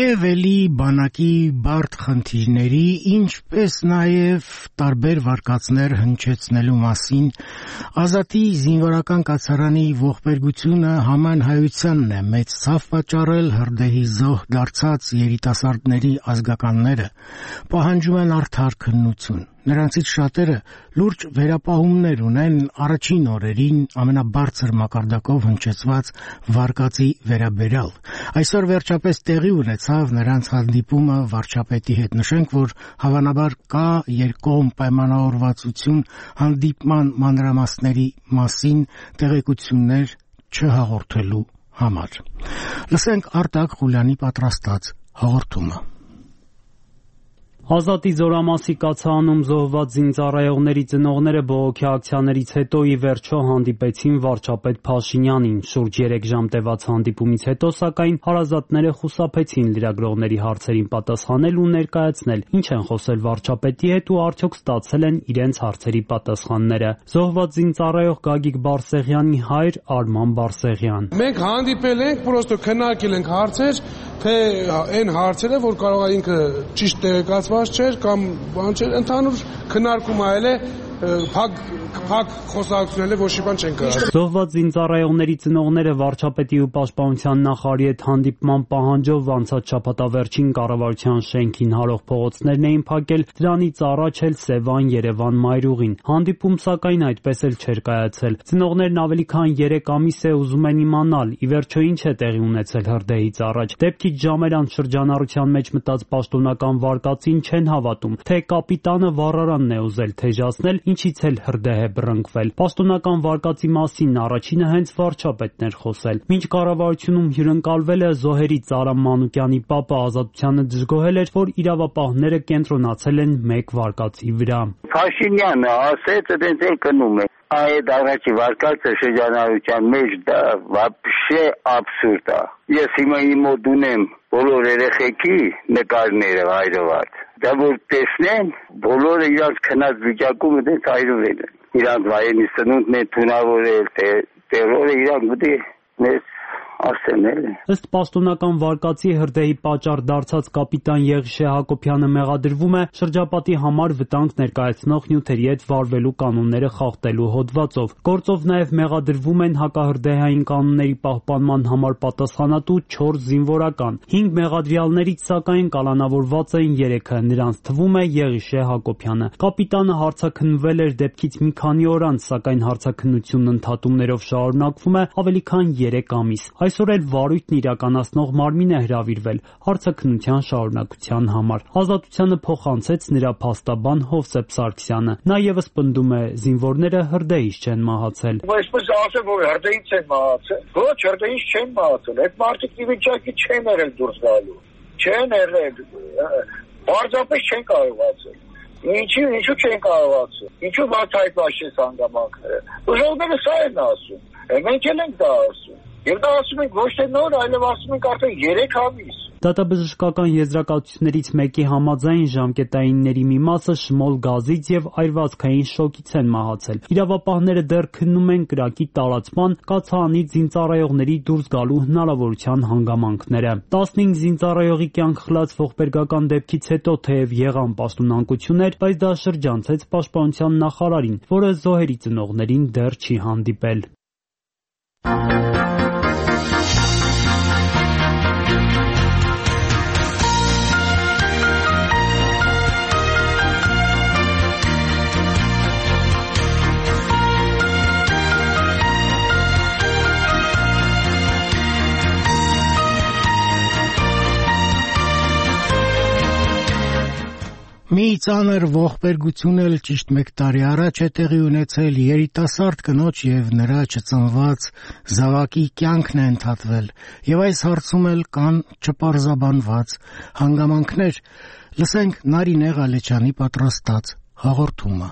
Եվ էլի բանակի բարդ խնդիրների, ինչպես նաև տարբեր վարկածներ հնչեցնելու մասին Ազատի զինվորական կացարանի ողբերգությունը համանհայությանն է մեծ ցավ պատճառել հրդեհի զոհ դարձած երիտասարդների ազգականները պահանջում են արդար քննություն։ Նրանցից շատերը լուրջ վերապահումներ ունեն առաջին օրերին ամենաբարձր մակարդակով հնչեցված վարկածի վերաբերյալ։ Այսօր վերջապես տեղի ունեցավ նրանց հանդիպումը վարչապետի հետ։ Նշենք, որ հավանաբար կա երկկողմ պայմանավորվածություն հանդիպման մանրամասների մասին տեղեկություններ չհաղորդելու համար։ Լսենք Արտակ Ղուլյանի պատրաստած հաղորդումը։ Ազատի զորամասի կացարանում զոհված զինծառայողների ծնողները բողոքի ակցիաներից հետո ի վերջո հանդիպեցին վարչապետ Փաշինյանին։ Շուրջ 3 ժամ տևած հանդիպումից հետո, սակայն, հարազատները խուսափեցին լրագրողների հարցերին պատասխանել ու ներկայացնել ինչ են խոսել վարչապետի հետ ու արդյոք ստացել են իրենց հարցերի պատասխանները։ Զոհված զինծառայող Գագիկ Բարսեղյանի հայր Արման Բարսեղյան։ Մենք հանդիպել ենք, պրոստո քննարկել ենք հարցեր, թե այն հարցերը, որ կարող է ինքը ճիշտ տեղեկացված չէր կամ բան չէր, ընդհանուր քննարկում այլ է փակ խոսակցությունները ոչ մի բան չեն կարող։ Զոհված զինծառայողների ծնողները վարչապետի ու պաշտպանության նախարարի հետ հանդիպման պահանջով անցած շաբաթավերջին կառավարության շենքին հարող փողոցներն էին փակել, դրանից առաջ էլ Սևան, Երևան, Մայրուղին։ Հանդիպում սակայն այդպես էլ չէր կայացել։ Ծնողներն ավելի քան 3 ամիս է ուզում են իմանալ, ի վերջո ինչ է տեղի ունեցել հրդեհից առաջ։ Դեպքից ժամեր անց շրջանառության մեջ մտած պաշտոնական վարկածին չեն հավատում, թե կապիտանը վառարանն է ուզել թեժացնել, ինչից էլ հրդեհ է բռնկվել։ Պաշտոնական վարկածի մասին առաջինը հենց վարչապետն էր խոսել։ Մինչ կառավարությունում հյուրընկալվելը զոհերի Ծարամ Մանուկյանի պապը Ազատությանը դժգոհել էր, որ իրավապահները կենտրոնացել են մեկ վարկածի վրա։ Փաշինյանը ասեց, դենց է կնում է։ Այդ առաջի վարկածը շրջանառության մեջ դա вообще абսուրդ է։ Ես հիմա իմ մոտ ունեմ բոլոր երեխեքի նկարները հայրված։ Դա որ տեսնեն, բոլորը իրանց քնած վիճակում դենց հայրվել են։ Իրանց վայրենի սնունդն է թունավորել, տերորը իրանք պետք է մեզ ասեն։ Ըստ պաշտոնական վարկածի հրդեհի պատճառ դարձած կապիտան Եղիշե Հակոբյանը մեղադրվում է շրջապատի համար վտանգ ներկայացնող նյութերի հետ վարվելու կանոնները խախտելու հոդվածով։ Գործով նաև մեղադրվում են հակահրդեհային կանոնների պահպանման համար պատասխանատու 4 զինվորական։ 5 մեղադրյալներից սակայն կալանավորված էին 3-ը, նրանց թվում է Եղիշե Հակոբյանը։ Կապիտանը հարցաքննվել էր դեպքից մի քանի օր անց, սակայն հարցաքննությունն ընդհատումներով շարունակվում է ավելի քան 3 ամիս։ Այսօր էլ վարույթն իրականացնող մարմին է հրավիրվել հարցաքննության շարունակության համար։ Ազատությանը փոխանցեց նրա փաստաբան Հովսեփ Սարգսյանը։ Նա ևս պնդում է, զինվորները հրդեհից չեն մահացել։ Այսպես ասել, որ հրդեհից են մահացել։ Ոչ, հրդեհից չեն մահացել։ Այդ մարդիկ ի վիճակի չեն եղել դուրս գալու։ Չեն եղել։ Պարզապես չեն կարողացել։ Ինչու չեն կարողացել։ Ինչու բացահայտված հանգամանքները։ Ուժողները սա են ասում։ Մենք էլ ենք դա ասում։ Եվ դա ասում ենք ոչ թե նոր, այլև ասում ենք արդեն 3 ամիս։ Դատաբժշկական եզրակացություններից մեկի համաձայն ժամկետայինների մի մասը շմոլ գազից եւ այրվածքային շոկից են մահացել։ Իրավապահները դեռ քննում են կրակի տարածման, կացարանից զինծառայողների դուրս գալու հնարավորության հանգամանքները։ 15 զինծառայողի կյանք խլած ողբերգական դեպքից հետո թեև եղան պաշտոնանկություններ, բայց դա շրջանցեց պաշտպանության նախարարին, որը զոհերի ծնողներին դեռ չի հանդիպել։ Մի ծանր ողբերգություն էլ ճիշտ 1 տարի առաջ է տեղի ունեցել երիտասարդ կնոջ եւ նրա չծնված զավակի կյանքն է ընդհատվել եւ այս հարցում էլ կան չպարզաբանված հանգամանքներ։ Լսենք Նարինե Ղալեչյանի պատրաստած հաղորդումը։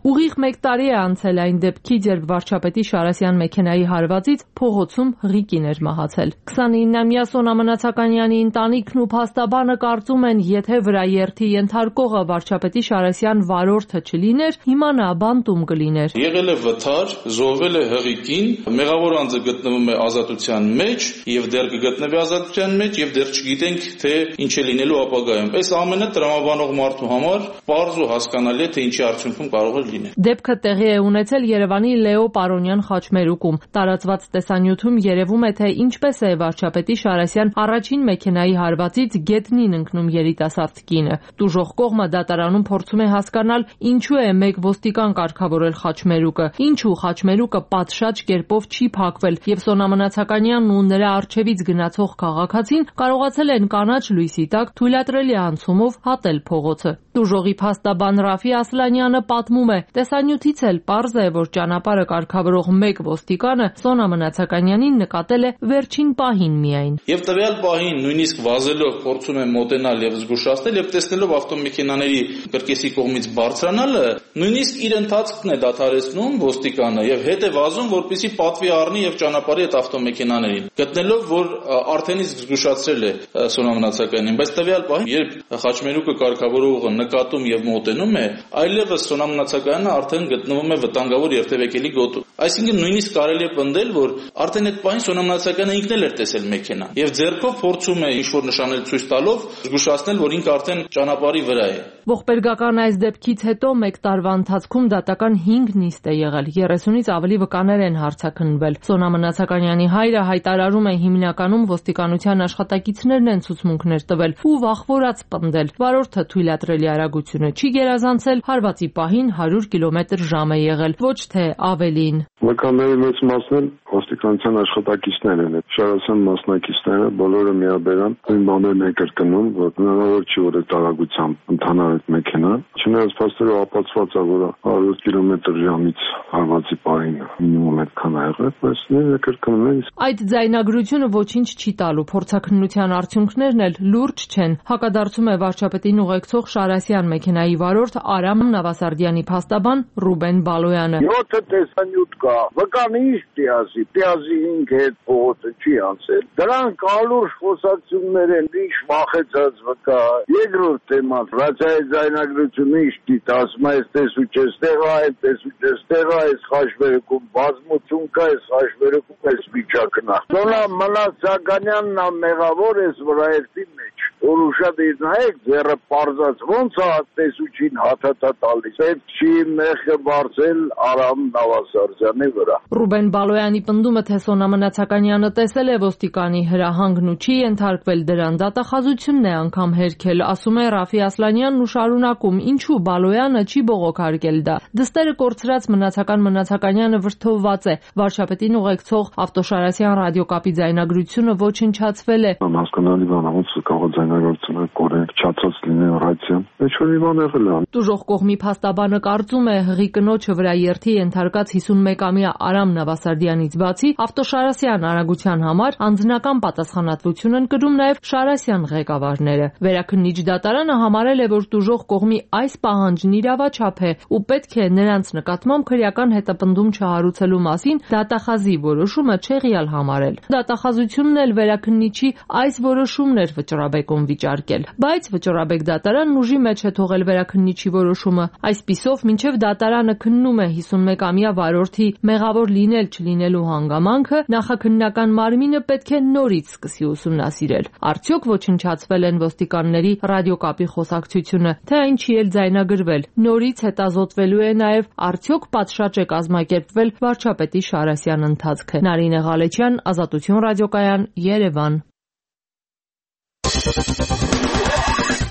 Ուղիղ 1 տարի է անցել այն դեպքից, երբ վարչապետի Շարասյան մեքենայի հարվածից փողոցում ղիկին էր մահացել։ 29-ամյա Սոնա Մնացականյանի ընտանիքն ու փաստաբանը կարծում են, եթե վրաերթի ենթարկողը վարչապետի Շարասյան վարորդը չլիներ, հիմա նա բանտում կլիներ։ Եղել է վթար, զոհվել է հղիկին, մեղավոր անձը գտնվում է ազատության մեջ եւ դեռ կգտնվի ազատության մեջ եւ դեռ չգիտենք թե ինչ է լինելու ապագայում։ Այս ամենը տրամաբանող մարդու համար պարզ ու հասկանալի է թե ինչի արդյունքում կարող է լինել։ Դեպքը տեղի է ունեցել Երևանի Լեո Պարոնյան խաչմերուկում։ Տարածված տեսանյութում երևում է, թե ինչպես է վարչապետի Շարասյան առաջին մեքենայի հարվածից գետնին ընկնում երիտասարդ կինը։ Տուժող կողմը դատարանում փորձում է հասկանալ, ինչու է մեկ ոստիկան կարգավորել խաչմերուկը, ինչու խաչմերուկը պատշաճ կերպով չի փակվել եւ Սոնա Մնացականյանն ու նրա առջևից գնացող քաղաքացին կարողացել են կանաչ լույսի տակ թույլատրելի անցումով հատել փողոցը։ Տուժողի փաստաբան Ռաֆի Ասլանյանը պատմում է. տեսանյութից էլ պարզ է, որ ճանապարհը կարգավորող մեկ ոստիկանը Սոնա Մնացականյանին նկատել է վերջին պահին միայն։ Եվ տվյալ պահին նույնիսկ վազելով փորձում է մոտենալ եւ զգուշացնել եւ տեսնելով ավտոմեքենաների կրկեսի կողմից բարձրանալը, նույնիսկ իր ընթացքն է դադարեցնում ոստիկանը եւ հետ է վազում, որպեսզի պատվի առնի եւ ճանապարհի այդ ավտոմեքենաներին, գտնելով, որ արդեն իսկ զգուշացրել է Սոնա Մնացականյանին, բայց տվյալ պահին, երբ խաչմերուկը կարգավորողը նկատում եւ մոտենում է, այլևս Սոնա Մնացականյանը արդեն գտնվում է վտանգավոր երթևեկելի գոտում։ Այսինքն նույնիսկ կարելի է պնդել, որ արդեն այդ պահին Սոնա Մնացականը ինքն էլ էր տեսել մեքենան եւ ձեռքով փորձում է ինչ-որ նշանել ցույց տալով զգուշացնել, որ ինքը արդեն ճանապարհի վրա է։ Ողբերգական այս դեպքից հետո 1 տարվա ընթացքում դատական 5 նիստ է եղել, 30-ից ավելի վկաներ են հարցաքննվել։ Սոնա Մնացականյանի հայրը հայտարարում է հիմնականում ոստիկանության աշխատակիցներն են ցուցմունքներ տվել ու վախվորած պնդել։ Վարորդը թույլատրելի արագությունը չի գերազանցել, հարվածի պահին 100 կմ/ժ է եղել, ոչ թե ավելին։ Վկաների մեծ մասն էլ ոստիկանության աշխատակիցներ են, Շարասյան մասնակիցները բոլորը միաբերան նույն բաներն են կրկնում, որ հնարավոր չի որ այդ արագությամբ ընթանար այդ մեքենան։ Չնայած փաստերը ապացված է, որ 100 կմ/ժ-ից հարվածի պահին մինիմում այդքան է եղել, բայց նույնը կրկնում են։ Այդ ձայնագրությունը ոչինչ չի տալու, փորձաքննության արդյունքներն էլ լուրջ չեն։ Հակադարձում է վարչապետին ուղեկցող Շարասյան մեքենայի վարորդ Արամ Նավասարդյանի փաստաբան Ռուբեն Բալոյանը։ 7 տեսանյութ կա, վկան ինչ տիազի 5 հետ փողոցը չի անցել։ Դրանք ալուր խոսակցություններ են, ինչ վախեցած վկա։ Երկրորդ թեման, ռացիայի ձայնագրությունը ինչ դիտա, ասում է, տեսուչես տեղա, տեսուչես տեղա, այս խաչմերուկում բազմություն կա, այս խաչմերուկում այս վիճակն է։ Սոնա Մնացականյանն է մեղավոր էս վրայերթի մեջ, որ ուշադիր նայեք, ձեռը պարզած ոնց է տեսուչին հաթաթա տալիս։ Այդ չի մեղքը բարձել Արամ Նավասարդյանի վրա։ Ռուբեն Բալոյանի պնդումը, թե Սոնա Մնացականյանը տեսել է ոստիկանի հրահանգն ու չի ենթարկվել դրան, դատախազությունն է անգամ հերքել, ասում է Ռաֆի Ասլանյանն ու շարունակում, ինչու Բալոյանը չի բողոքարկել դա։ Դստերը կորցրած Մնացականյանը վրդովված է, վարչապետին ուղեկցող Ավտոշարասյան ռադիոկապի ձայնագրությունը ոչնչացվել է։ Հասկանալի բան է, ոնց կարող ձայնագրությունը կորել, չացած լինի ռադիոն։ Ինչ-որ մի բան եղել է։ Տուժող կողմի փաստաբանը կարծում է, հղի կնոջը վրաերթի ենթարկած 51-ամյա Արամ Նավասարդյանից բացի Ավտոշարասյան արագության համար անձնական պատասխանատվություն են կրում նաև Շարասյան ղեկավարները։ Վերաքննիչ դատարանը համարել է, որ տուժող կողմի այս պահանջն իրավաչափ է ու պետք է նրանց նկատմամբ քրեական հետապնդում չհարուցելու մասին դատախազի որոշումը չեղյալ համարել։ Դատախազությունն էլ վերաքննիչի այս որոշումն էր վճռաբեկում վիճարկել, բայց վճռաբեկ դատարանն ուժի մեջ է թողել վերաքննիչի որոշումը։ Այսպիսով, մինչև դատարանը քննում է 51-ամյա վարորդի մեղավոր լինել-չլինելու հանգամանքը, նախաքննական մարմինը պետք է նորից սկսի ուսումնասիրել։ Արդյոք ոչնչացվել են ոստիկանների ռադիոկապի խոսակցությունը, թե այն չի էլ ձայնագրվել։ Նորից հետազոտվելու է նաև արդյոք պատշաճ է կազմակերպվել վարչապետի Շարասյան ընթացքը։ Նարինե Ղալեչյան, Ազատություն ռադիոկայան, Երևան։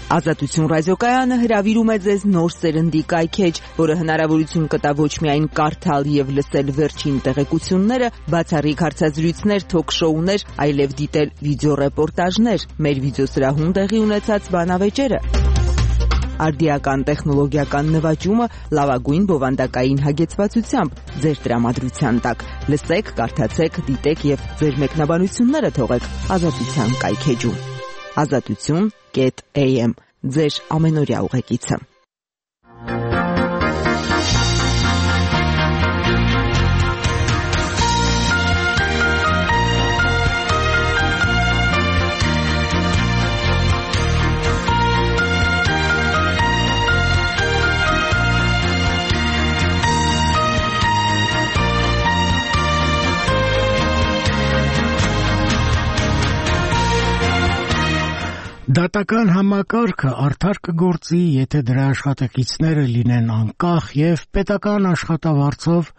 Ազատություն ռադիոկայանը հրավիրում է ձեզ նոր սերնդի կայքեջ, որը հնարավորություն կտա ոչ միայն կարդալ եւ լսել վերջին տեղեկությունները, բացառիկ հարցազրույցներ, թոք-շոուներ, այլև դիտել վիդեոռեպորտաժներ, մեր վիդեոսրահում տեղի ունեցած բանավեճերը։ Արդիական տեխնոլոգիական նվաճումը լավագույն բովանդակային հագեցվածությամբ ձեր տրամադրության տակ։ Լսեք, կարդացեք, դիտեք եւ ձեր մեկնաբանությունները թողեք Ազատության կայքեջում։ Azatutun.am ձեր ամենօրյա ուղեկիցը։ Դատական համակարգը արդար կգործի, եթե դրա աշխատակիցները լինեն անկախ եւ պետական աշխատավարձով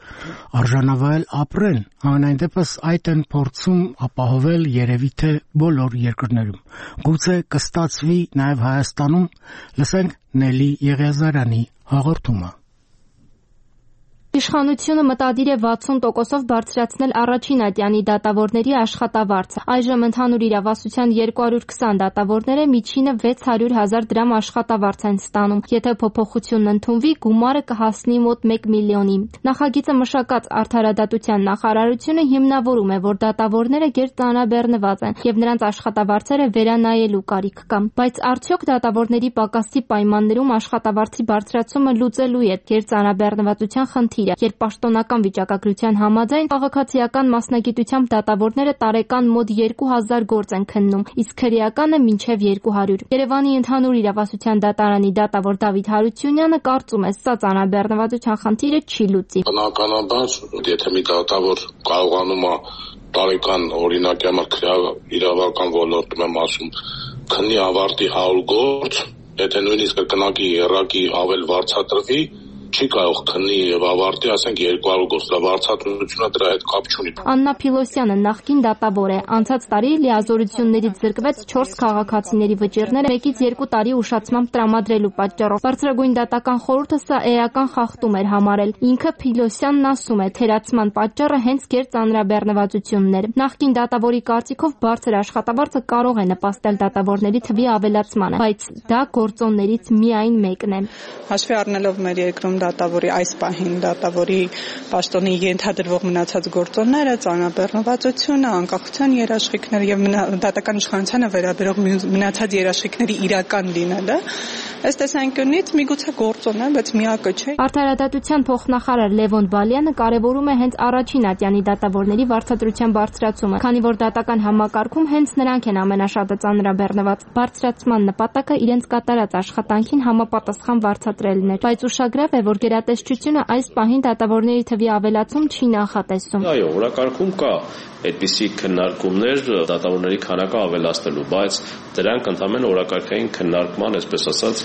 արժանավայել ապրեն, համենայն դեպս այդ են փորձում ապահովել երևի թե բոլոր երկրներում։ Գուցե կստացվի նաեւ Հայաստանում, լսենք Նելի Եղիազարյանի հաղորդումը։ Իշխանությունը մտադիր է 60%-ով բարձրացնել առաջին ատյանի դատավորների աշխատավարձը։ Այժմ ընդհանուր իրավասության 220 դատավորները միջինը 600,000 դրամ աշխատավարձ են ստանում։ Եթե փոփոխությունն ընդունվի, գումարը կհասնի մոտ 1 միլիոնի։ Նախագիծը մշակած Արդարադատության նախարարությունը հիմնավորում է, որ դատավորները գերծանրաբեռնված են եւ նրանց աշխատավարձերը վերանայելու կարիք կա։ Բայց արդյոք դատավորների պակասի պայմաններում աշխատավարձի բարձրացումը լուծելու է գերծանրաբեռնվածության խնդիրը։ Երբ պաշտոնական վիճակագրության համաձայն քաղաքացիական մասնագիտությամբ դատավորները տարեկան մոտ 2000 գործ են քննում, իսկ քրեականը մինչև 200։ Երևանի ընդհանուր իրավասության դատարանի դատավոր Դավիթ Հարությունյանը կարծում է, սա ծանրաբեռնվածության խնդիրը չի լուծի։ Բնականաբար, եթե մի դատավոր կարողանում է տարեկան օրինակի համար իրավական ոլորտում եմ ասում, քննի ավարտի 100 գործ, եթե նույնիսկ կրկնակի եռակի ավել վարձատրվի, չի կարող քննի եւ ավարտի, ասենք 200 գործ, վարձատրությունը դրա հետ կապ չունի։ Աննա Փիլոսյանը նախկին դատավոր է։ Անցած տարի լիազորություններից զրկվեց 4 քաղաքացիների վճիռները 1-ից 2 տարի ուշացմամբ տրամադրելու պատճառով։ Բարձրագույն դատական խորհուրդը սա էական խախտում էր համարել։ Ինքը Փիլոսյանն ասում է, թերացման պատճառը հենց գերծանրաբեռնվածությունն էր։ Նախկին դատավորի կարծիքով բարձր աշխատավարձը կարող է նպաստել դատավորների թվի ավելացմանը, բայց դա գործոններից միայն մեկն է։ Հաշվի առնելով մեր երկրում դատավորի այս պահին դատավորի պաշտոնի ենթադրվող մնացած գործոնները, ծանրաբեռնվածությունը, անկախության երաշխիքները եւ դատական իշխանությանը վերաբերող մնացած երաշխիքների իրական լինելը, ըստ տեսանկյունից միգուցե գործոն է, բայց միակը չէ։ Արդարադատության փոխնախարար Լևոն Բալյանը կարևորում է հենց առաջին ատյանի դատավորների վարձատրության բարձրացումը, քանի որ դատական համակարգում հենց նրանք են ամենաշատը ծանրաբեռնված։ Բարձրացման նպատակը իրենց կատարած աշխատանքին համապատասխան վարձատրելն է, բայց ուշագրավ է, որ գերատեսչությունը այս պահին դատավորների թվի ավելացում չի նախատեսում։ Այո, օրակարգում կա այդպիսի քննարկումներ դատավորների քանակը ավելացնելու, բայց դրանք ընդհանրապես օրակարգային քննարկման, այսպես ասած,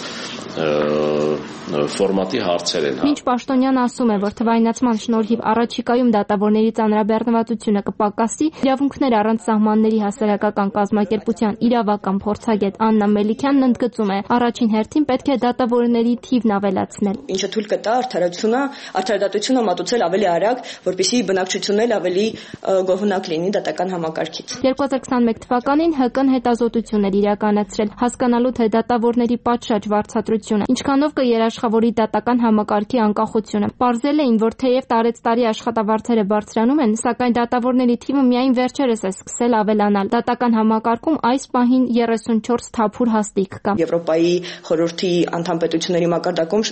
ֆորմատի հարցեր են։ Մինչ Պաշտոնյանը ասում է, որ թվայնացման շնորհիվ առաջիկայում դատավորների ծանրաբեռնվածությունը կպակասի, իրավունքներ առանց սահմանների հասարակական կազմակերպության իրավական փորձագետ Աննա Մելիքյանն ընդգծում է, առաջին հերթին պետք է դատավորների թիվն ավելացնել։ Ինչը թույլ կտա արդարադատությունը մատուցել ավելի արագ, որպեսզի բնակչությունն էլ ավելի գոհունակ լինի դատական համակարգից։ 2021 թվականին ՀԿ-ն հետազոտություն էր իրականացրել, հասկանալու թե դատավորների պատշաճ վարձատրությունը ինչքանով կերաշխավորի դատական համակարգի անկախությունը։ Պարզել էին, որ թեև տարեցտարի աշխատավարձերը բարձրանում են, սակայն դատավորների թիվը միայն վերջերս է սկսել ավելանալ։ Դատական համակարգում այս պահին 34 թափուր հաստիք կա։ Եվրոպայի խորհրդի անդամ պետությունների մակարդակում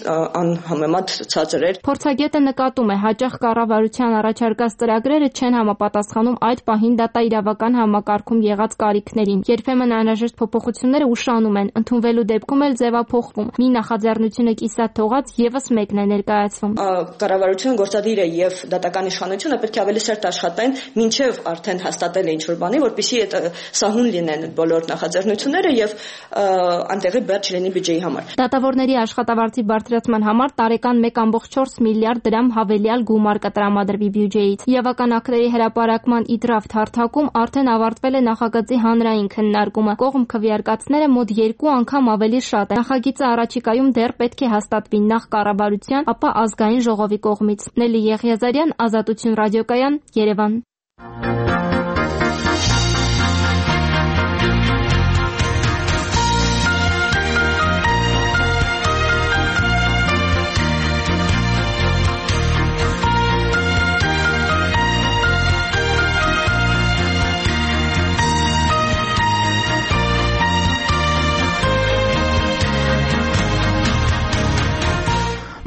անհամեմատ ցածր էր։ Փորձագետը նկատում է, հաճախ կառավարության առաջարկած ծրագրերը չեն համապատասխանում այդ պահին դատաիրավական համակարգում եղած կարիքներին։ Երբեմն անհրաժեշտ փոփոխությունները ուշանում են, ընդունվելու դեպքում էլ ձևափոխվում։ Մի նախաձեռնությունը կիսատ թողած եւս մեկն է ներկայացվում։ Կառավարությունը գործադիր է եւ դատական իշխանությունը պետք է ավելի սերտ աշխատեն, մինչեւ արդեն հաստատել է ինչ-որ բանի, որպեսզի այդ սահուն լինեն բոլոր նախաձեռնությունները եւ անտեղի բեռ չլինի բյուջեի համար։ Դատավորների աշխատավարձի բարձրացման համար տարեկան 1.4 միլիարդ դրամ հավելյալ գումար կտրամադրվի բյուջեից։ Իրավական ակտերի հրապարակման իդրաֆտ հարթակում արդեն ավարտվել է նախագծի հանրային քննարկումը։ Կողմ քվեարկածները մոտ 2 անգամ ավելի շատ են։ Նախագիծը առաջիկայում դեռ պետք է հաստատվի նախ կառավարության, ապա ազգային ժողովի կողմից։ Նելի Եղիազարյան, Ազատություն ռադիոկայան, Երևան։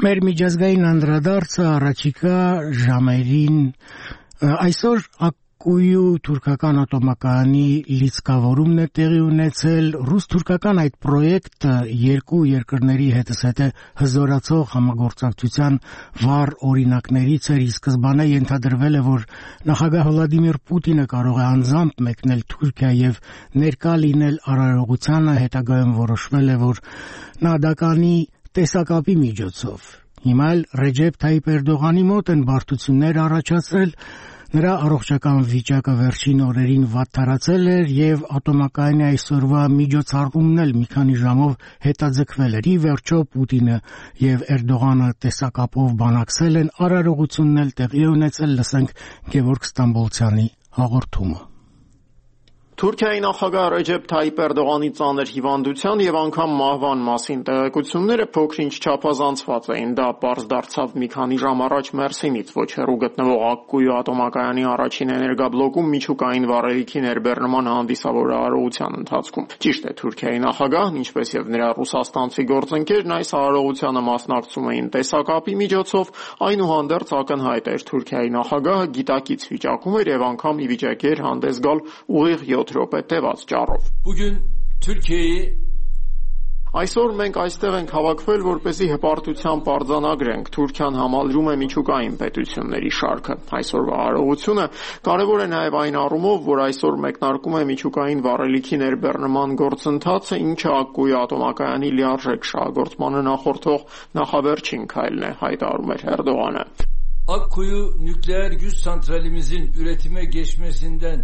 Մեր միջազգային անդրադարձը առաջիկա ժամերին այսօր Ակկույու թուրքական ատոմակայանի լիցքավորումն է տեղի ունեցել։ Ռուս-թուրքական այդ պրոյեկտը երկու երկրների հետզհետե հզորացող համագործակցության վառ օրինակներից էր, իսկ սկզբանե ենթադրվել է, որ նախագահ Վլադիմիր Պուտինը կարող է անձամբ մեկնել Թուրքիա եւ ներկա լինել արարողությանը, հետագայում որոշվել է, որ նա դա կանի տեսակապի միջոցով։ Հիմա էլ Ռեջեփ Թայիպ Էրդողանի մոտ են բարդություններ առաջացրել, նրա առողջական վիճակը վերջին օրերին վատթարացել էր եւ ատոմակայանի այսօրվա միջոցառումն էլ մի քանի ժամով հետաձգվել էր։ Ի վերջո Պուտինը եւ Էրդողանը տեսակապով բանակցել են, արարողությունն էլ տեղի ունեցել, լսենք Գևորգ Ստամբոլցյանի հաղորդումը։ Թուրքիայի նախագահ Ռեջեփ Թայիպ Էրդողանի ծանր հիվանդության եւ անգամ մահվան մասին տեղեկությունները փոքր-ինչ չափազանցված էին։ Դա պարզ դարձավ մի քանի ժամ առաջ Մերսինից ոչ հեռու գտնվող Ակկույու ատոմակայանի առաջին էներգաբլոկում միջուկային վառելիքի ներբեռնման հանդիսավոր արարողության ընթացքում։ Ճիշտ է, Թուրքիայի նախագահն, ինչպես եւ նրա ռուսաստանցի գործընկերն այս արարողությանը մասնակցում էին տեսակապի միջոցով, այնուհանդերձ ակնհայտ էր Թուրքիայի նախագահը գիտակից վիճակում էր եւ անգամ ի վիճակի էր հանդես գալ ուղիղ 7 րոպե տևած ճառով։ Այսօր մենք այստեղ ենք հավաքվել, որպեսզի հպարտությամբ արձանագրենք Թուրքիան համալրում է միջուկային պետությունների շարքը։ Այսօրվա արարողությունը կարևոր է նաև այն առումով, որ այսօր մեկնարկում է միջուկային վառելիքի ներբեռնման գործընթացը, ինչը Ակկույու ատոմակայանի լիարժեք շահագործմանը նախորդող նախավերջին քայլն է, հայտարարում էր Էրդողանը։ Akkuyu nükleer güç santralimizin üretime geçmesinden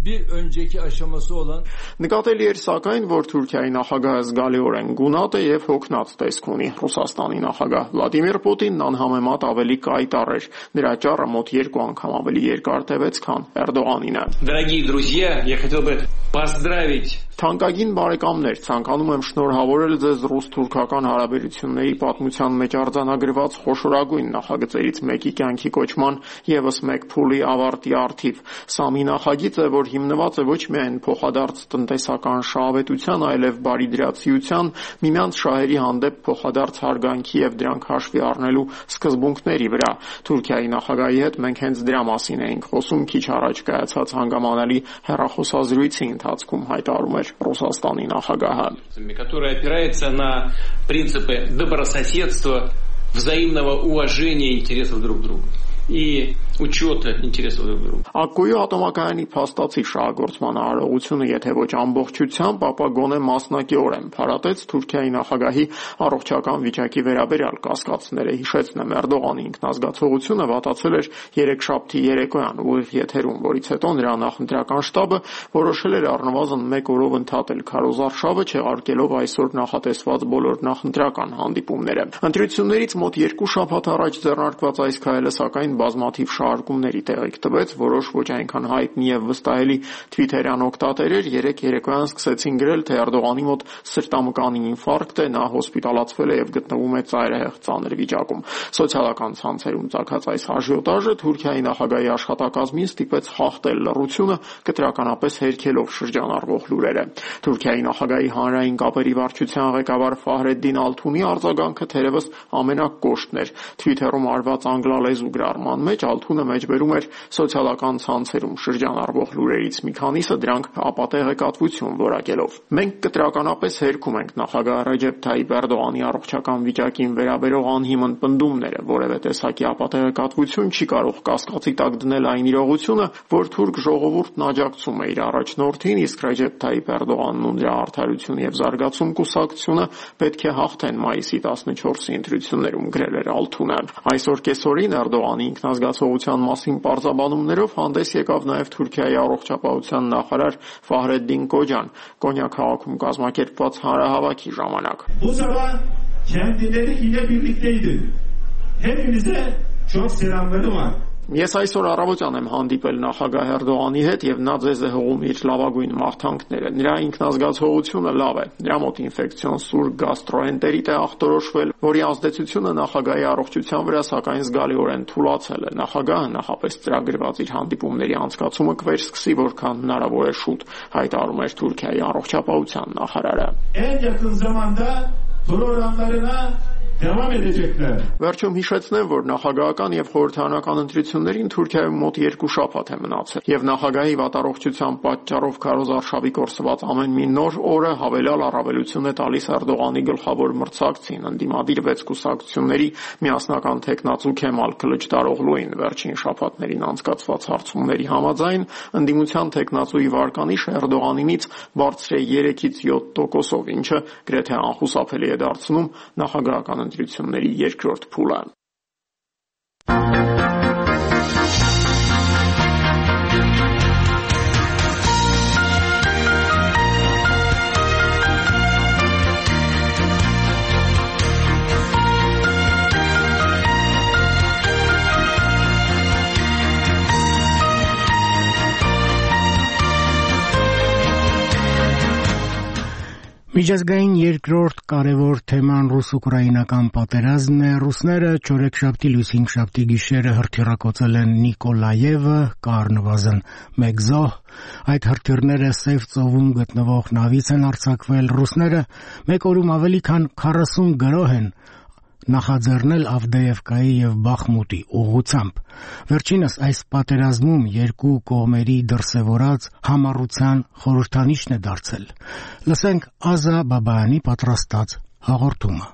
bir önceki aşaması olan Նկատելի էր սակայն, որ Թուրքիայի նախագահը զգալիորեն գունատ է եւ հոգնած տեսք ունի։ Ռուսաստանի նախագահ Վլադիմիր Պուտինն անհամեմատ ավելի կայտառ էր։ Նրա ճառը մոտ 2 անգամ ավելի երկար տևեց, քան Էրդողանինը։ Дорогие друзья, я хотел бы поздравить Թանկագին բարեկամներ, ցանկանում եմ շնորհավորել ձեզ ռուս-թուրքական հարաբերությունների պատմության մեջ արձանագրված խոշորագույն նախագծերից մեկի կյանքի կոչման եւս մեկ փուլի ավարտի առթիվ։ Սա մի նախագիծ է, որ հիմնված է ոչ միայն փոխադարձ տնտեսական շահավետության, այլև բարիդրացիության, միմյանց շահերի հանդեպ փոխադարձ հարգանքի եւ դրանք հաշվի առնելու սկզբունքների վրա։ Թուրքիայի նախագահի հետ մենք հենց դրա մասին էինք խոսում քիչ առաջ կայացած հանգամանալի հեռախոսազրույցի ընթացքում, հայտարարում Ռուսաստանի նախագահը, которая опирается на принципы добрососедства, взаимного уважения интересов друг друга и учета интересов друг друга. Ակկույու ատոմակայանի փաստացի շահագործման արարողությունը, եթե ոչ ամբողջությամբ, ապա գոնե մասնակիորեն փարատեց Թուրքիայի նախագահի առողջական վիճակի վերաբերյալ կասկածները։ Հիշեցնեմ, Էրդողանի ինքնազգացողությունը վատացել էր երեքշաբթի երեկոյան ուղիղ եթերում, որից հետո նրա նախընտրական շտաբը որոշել էր առնվազն 1 օրով ընդհատել քարոզարշավը, չեղարկելով այսօր նախատեսված բոլոր նախընտրական հանդիպումները։ Ընտրություններից մոտ 2 շաբաթ առաջ ձեռնարկված այս քայլը սակայն բազմաթիվ շահարկումների տեղիք տվեց, որոշ ոչ այնքան հայտնի եւ վստահելի թվիթերյան օգտատերեր երեկ երեկոյան սկսեցին գրել, թե Էրդողանի մոտ սրտամկանի ինֆարկտ է, նա հոսպիտալացվել է եւ գտնվում է ծայրահեղ ծանր վիճակում։ Սոցիալական ցանցերում ծագած այս աժիոտաժը Թուրքիայի նախագահի աշխատակազմին ստիպեց խախտել լռությունը, կտրականապես հերքելով շրջանառվող լուրերը։ Թուրքիայի նախագահի հանրային կապերի վարչության ղեկավար Ֆահրեդդին Ալթունի արձագանքը թերևս ամենակոշտն էր։ Թվիթերում արված անգլալեզու գրառման մեջ Ալթունը մեջբերում էր սոցիալական ցանցերում շրջանառվող լուրերից մի քանիսը դրանք ապատեղեկատվություն որակելով։ Մենք կտրականապես հերքում ենք նախագահ Ռեջեփ Թայիպ Էրդողանի առողջական վիճակին վերաբերող անհիմն պնդումները, որևէ տեսակի ապատեղեկատվություն չի կարող կասկածի տակ դնել այն իրողությունը, որ թուրք ժողովուրդն աջակցում է իր առաջնորդին, իսկ Ռեջեփ Թայիպ Էրդողանն ու նրա արդարություն եւ զարգացում կուսակցությունը պետք է հաղթեն մայիսի 14-ի ընտրություններում, գրել էր Ալթունը։ Այսօր կեսօրին Էրդողանի ինքնազգացողության մասին պարզաբանումներով հանդես եկավ նաև Թուրքիայի առողջապահության նախարար Ֆահրեդդին Կոջան Կոնյա քաղաքում կազմակերպված հանրահավաքի ժամանակ։ Bu sabah kendileri yine birlikteydi. Hepinize çok selamları var. Ես այսօր առավոտյան եմ հանդիպել նախագահ Էրդողանի հետ եւ նա ձեզ է հողում իր լավագույն մաղթանքները։ Նրա ինքնազգացողությունը լավ է։ Նրա մոտ ինֆեկցիոն սուր գաստրոենտերիտ է ախտորոշվել, որի ազդեցությունը նախագահի առողջության վրա սակայն զգալիորեն թուլացել է։ Նախագահը նախապես ծրագրված իր հանդիպումների անցկացումը կվերսկսի որքան հնարավոր է շուտ, հայտարարում էր Թուրքիայի առողջապահության նախարարը։ En yakın zamanda programlarına devam edecekler. Վերջում հիշեցնեմ, որ նախագահական եւ խորհրդարանական ընտրություններին Թուրքիայում մոտ 2 շաբաթ է մնացել, եւ նախագահի վատառողջության պատճառով քարոզարշավի կորսված ամեն մի նոր օրը հավելյալ առավելություն է տալիս Էրդողանի գլխավոր մրցակցին, ընդդիմադիր 6 կուսակցությունների միասնական տեխնացու Քեմալ Քլիչդարօղլուին։ Վերջին շաբաթներին անցկացված հարցումների համաձայն ընդդիմության տեխնացուի վարկանիշը Էրդողանինից բարձր է 3-ից 7%-ով, ինչը գրեթե անխուսափելի է դարձնում նախագահական ընտրությունների երկրորդ փուլը։ Միջազգային երկրորդ կարևոր թեման ռուս-ուկրաինական պատերազմն է։ Ռուսները չորեքշաբթի լույս հինգշաբթի գիշերը հրթիռակոծել են Նիկոլաևը, կառնվազն 1 զոհ։ Այդ հրթիռները Սև ծովում գտնվող նավից են արձակվել։ Ռուսները մեկ օրում ավելի քան 40 գրոհ են նախաձեռնել Ավդեևկայի եւ Բախմուտի ուղղությամբ։ Վերջինս այս պատերազմում երկու կողմերի դրսևորած համառության խորհրդանիշն է դարձել։ Լսենք Ազա Բաբայանի պատրաստած հաղորդումը։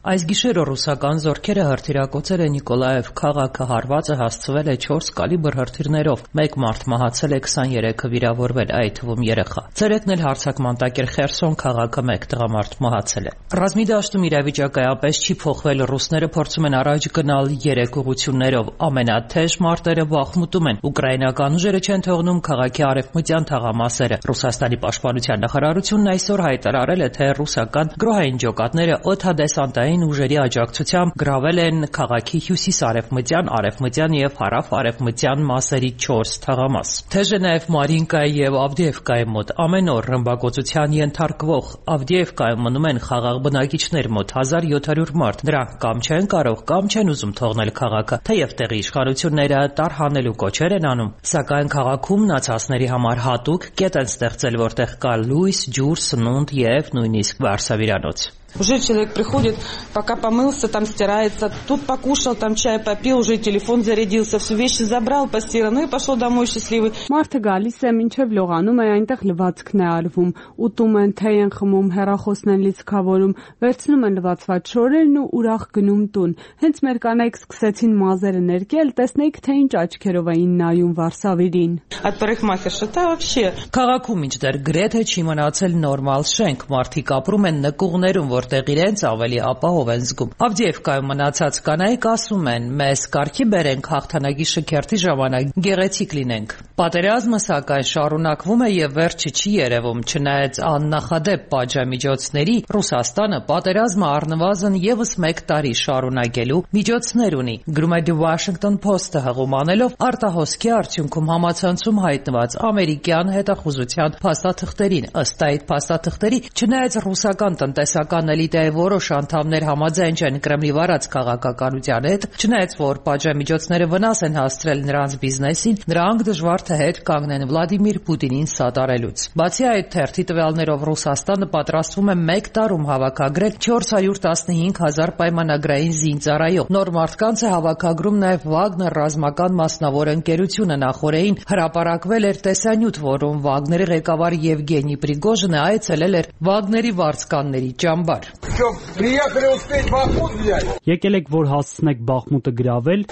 Այս գիշերը ռուսական զորքերը հրթիռակոծել են Նիկոլաև քաղաքը, հարվածը հասցվել է 4 կալիբր հրթիռներով, 1 մարդ մահացել է, 23-ը վիրավորվել, այդ թվում երեխա։ Ցերեկն էլ հարձակման տակ էր Խերսոն քաղաքը, 1 տղամարդ մահացել է։ Ռազմի դաշտում իրավիճակը այապես չի փոխվել, ռուսները փորձում են առաջ գնալ 3 ուղղություններով, ամենաթեժ մարտերը Բախմուտում են, ուկրաինական ուժերը չեն թողնում քաղաքի արևմտյան թաղամասերը։ Ռուսաստանի պաշտպանության նախարարությունն այսօր հայտարարել է, թե ռուսական գրոհային ջոկատները օդադեսանտային ուժերի աջակցությամբ գրավել են քաղաքի հյուսիս-արևմտյան, արևմտյան եւ հարավ-արևմտյան մասերի 4 թաղամաս։ Թեժը նաեւ Մարինկայի եւ Ավդեևկայի մոտ ամեն օր ռմբակոծության ենթարկվող Ավդեևկայում մնում են խաղաղ բնակիչներ մոտ 1700 մարդ։ Նրանք կամ չեն կարող, կամ չեն ուզում թողնել քաղաքը, թեև տեղի իշխանությունները տարհանելու կոչեր են անում, սակայն քաղաքում մնացածների համար հատուկ կետ են ստեղծել, որտեղ կա լույս, ջուր, сնունդ եւ նույնիսկ վարսավիրանոց։ Уже человек приходит, пока помылся, там стирается, тут покушал, там чай попил, уже телефон зарядился, все вещи забрал, постирал, ну и пошел домой счастливый. Մարդը գալիս է մինչև լողանում է, այնտեղ լվացքն է արվում, ուտում են, թեյ են խմում, հեռախոսն են լիցքավորում, վերցնում են լվացված շորերն ու ուրախ գնում տուն։ Հենց մեր կանայք սկսեցին մազերը ներկել, տեսնեիք, թե ինչ աչքերով էին նայում վարսավիրին։ От парикмахерша-то вообще. Քաղաքում ինչդեռ գրեթե չի մնացել նորմալ շենք, մարդիկ ապրում են նկուղներում, որտեղ իրենց ավելի ապահով են զգում։ Ավդեևկայում մնացած կանայք ասում են, մեզ կարգի բերենք հաղթանակի շքերթի ժամանակ գեղեցիկ լինենք։ Պատերազմը սակայն շարունակվում է եւ վերջը չի երևում, չնայած աննախադեպ պատժամիջոցների Ռուսաստանը պատերազմը առնվազն եւս 1 տարի շարունակելու միջոցներ ունի։ Գրում է The Washington Post-ը հղում անելով արտահոսքի արդյունքում համացանցում հայտնված ամերիկյան հետախուզության փաստաթղթերին։ Ըստ այդ փաստաթղթերի, չնայած ռուսական տնտեսական էլիտայի որոշ անդամներ համաձայն չեն Կրեմլի վարած քաղաքականության հետ, չնայած որ պատժամիջոցները վնաս են հասցրել նրանց բիզնեսին, նրանք դժվար թե հետ կանգնեն Վլադիմիր Պուտինին սատարելուց։ Բացի այդ, թերթի տվյալներով Ռուսաստանը պատրաստվում է 1 տարում հավաքագրել 415,000 պայմանագրային զինծառայող։ Նոր մարդկանց է հավաքագրում նաև Վագներ ռազմական մասնավոր ընկերությունը, նախորդին հրապարակվել էր տեսանյութ, որում Վագների ղեկավար Եվգենի Պրիգոժինը այցելել էր Վագների վարձկանների ճամբար։ Եկել եք, որ հասցնեք Բախմուտը գրավել։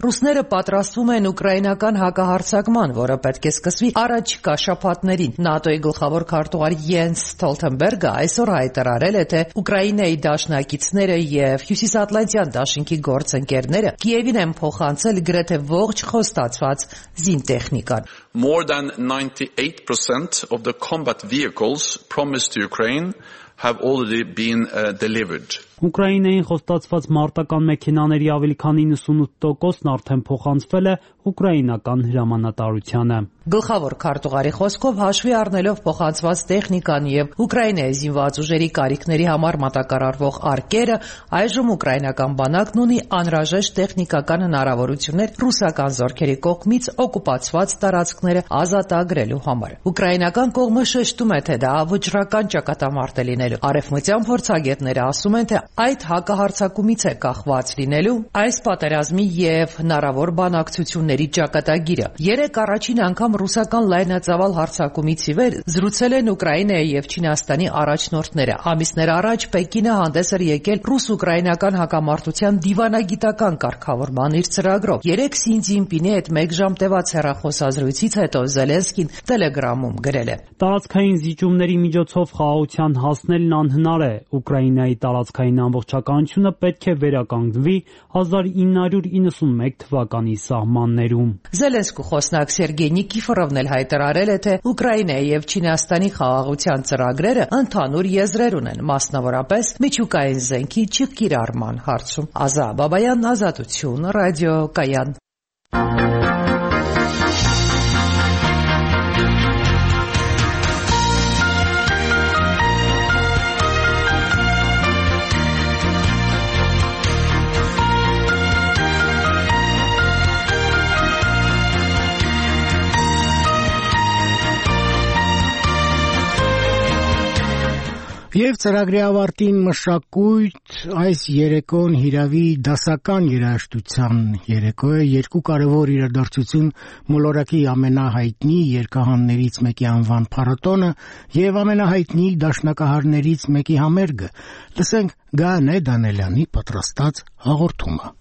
Ռուսները պատրաստվում են ուկրաինական հակահարձակման, որը պետք է սկսվի առաջիկա շաբաթներին։ ՆԱՏՕ-ի գլխավոր քարտուղար Յենս Ստոլտենբերգը այսօր հայտարարել է, թե Ուկրաինայի դաշնակիցները եւ Հյուսիսատլանտյան դաշինքի գործընկերները Կիևին են փոխանցել գրեթե ողջ խոստացված զինտեխնիկան։ More than 98% of the combat vehicles promised to Ukraine have already been delivered. Ուկրաինային խոստացված մարտական մեքենաների ավելի քան 98%-ն արդեն փոխանցվել է ուկրաինական հրամանատարությանը։ Գլխավոր քարտուղարի խոսքով հաշվի առնելով փոխանցված տեխնիկան եւ Ուկրաինայի զինված ուժերի կարիքների համար մատակարարվող արկերը, այժմ ուկրաինական բանակն ունի անհրաժեշտ տեխնիկական հնարավորություններ ռուսական զորքերի կողմից օկուպացված տարածքները ազատագրելու համար։ Ուկրաինական կողմը շեշտում է, թե դա վճռական ճակատամարտ է լինելու։ Արևմտյան փորձագետները ասում են, թե այդ հակահարձակումից է կախված լինելու այս պատերազմի եւ հնարավոր բանակցությունների ճակատագիրը։ Երեք առաջին անգամ ռուսական լայնածավալ հարձակումից ի վեր զրուցել են Ուկրաինայի եւ Չինաստանի առաջնորդները։ Ամիսներ առաջ Պեկինը հանդես էր եկել ռուս-ուկրաինական հակամարտության դիվանագիտական կարգավորման իր ծրագրով։ Երեք Սի Ցզինպինի հետ 1 ժամ տևած հեռախոսազրույցից հետո Զելենսկին Տելեգրամում գրել է. Տարածքային զիջումների միջոցով խաղաղության հասնելն անհնար է։ Ուկրաինայի տարածքային ամբողջականությունը պետք է վերականգնվի 1991 թվականի սահմաններում։ Զելենսկու խոսնակ Սերգեյ Նիկիֆորովն էլ հայտարարել է, թե Ուկրաինայի եւ Չինաստանի խաղաղության ծրագրերը ընդհանուր եզրեր ունեն, մասնավորապես միջուկային զենքի չկիրառման հարցում։ Ազա Բաբայան, Ազատություն, ռադիոկայան։ Եվ ծրագրի ավարտին մշակույթ այս երեկոն հիրավի դասական երաժշտության երեկո է, երկու կարևոր իրադարձություն մոլորակի ամենահայտնի երգահաններից մեկի անվան փառատոնը եւ ամենահայտնի դաշնակահարներից մեկի համերգը։ Լսենք Գանե Դանելյանի պատրաստած հաղորդումը։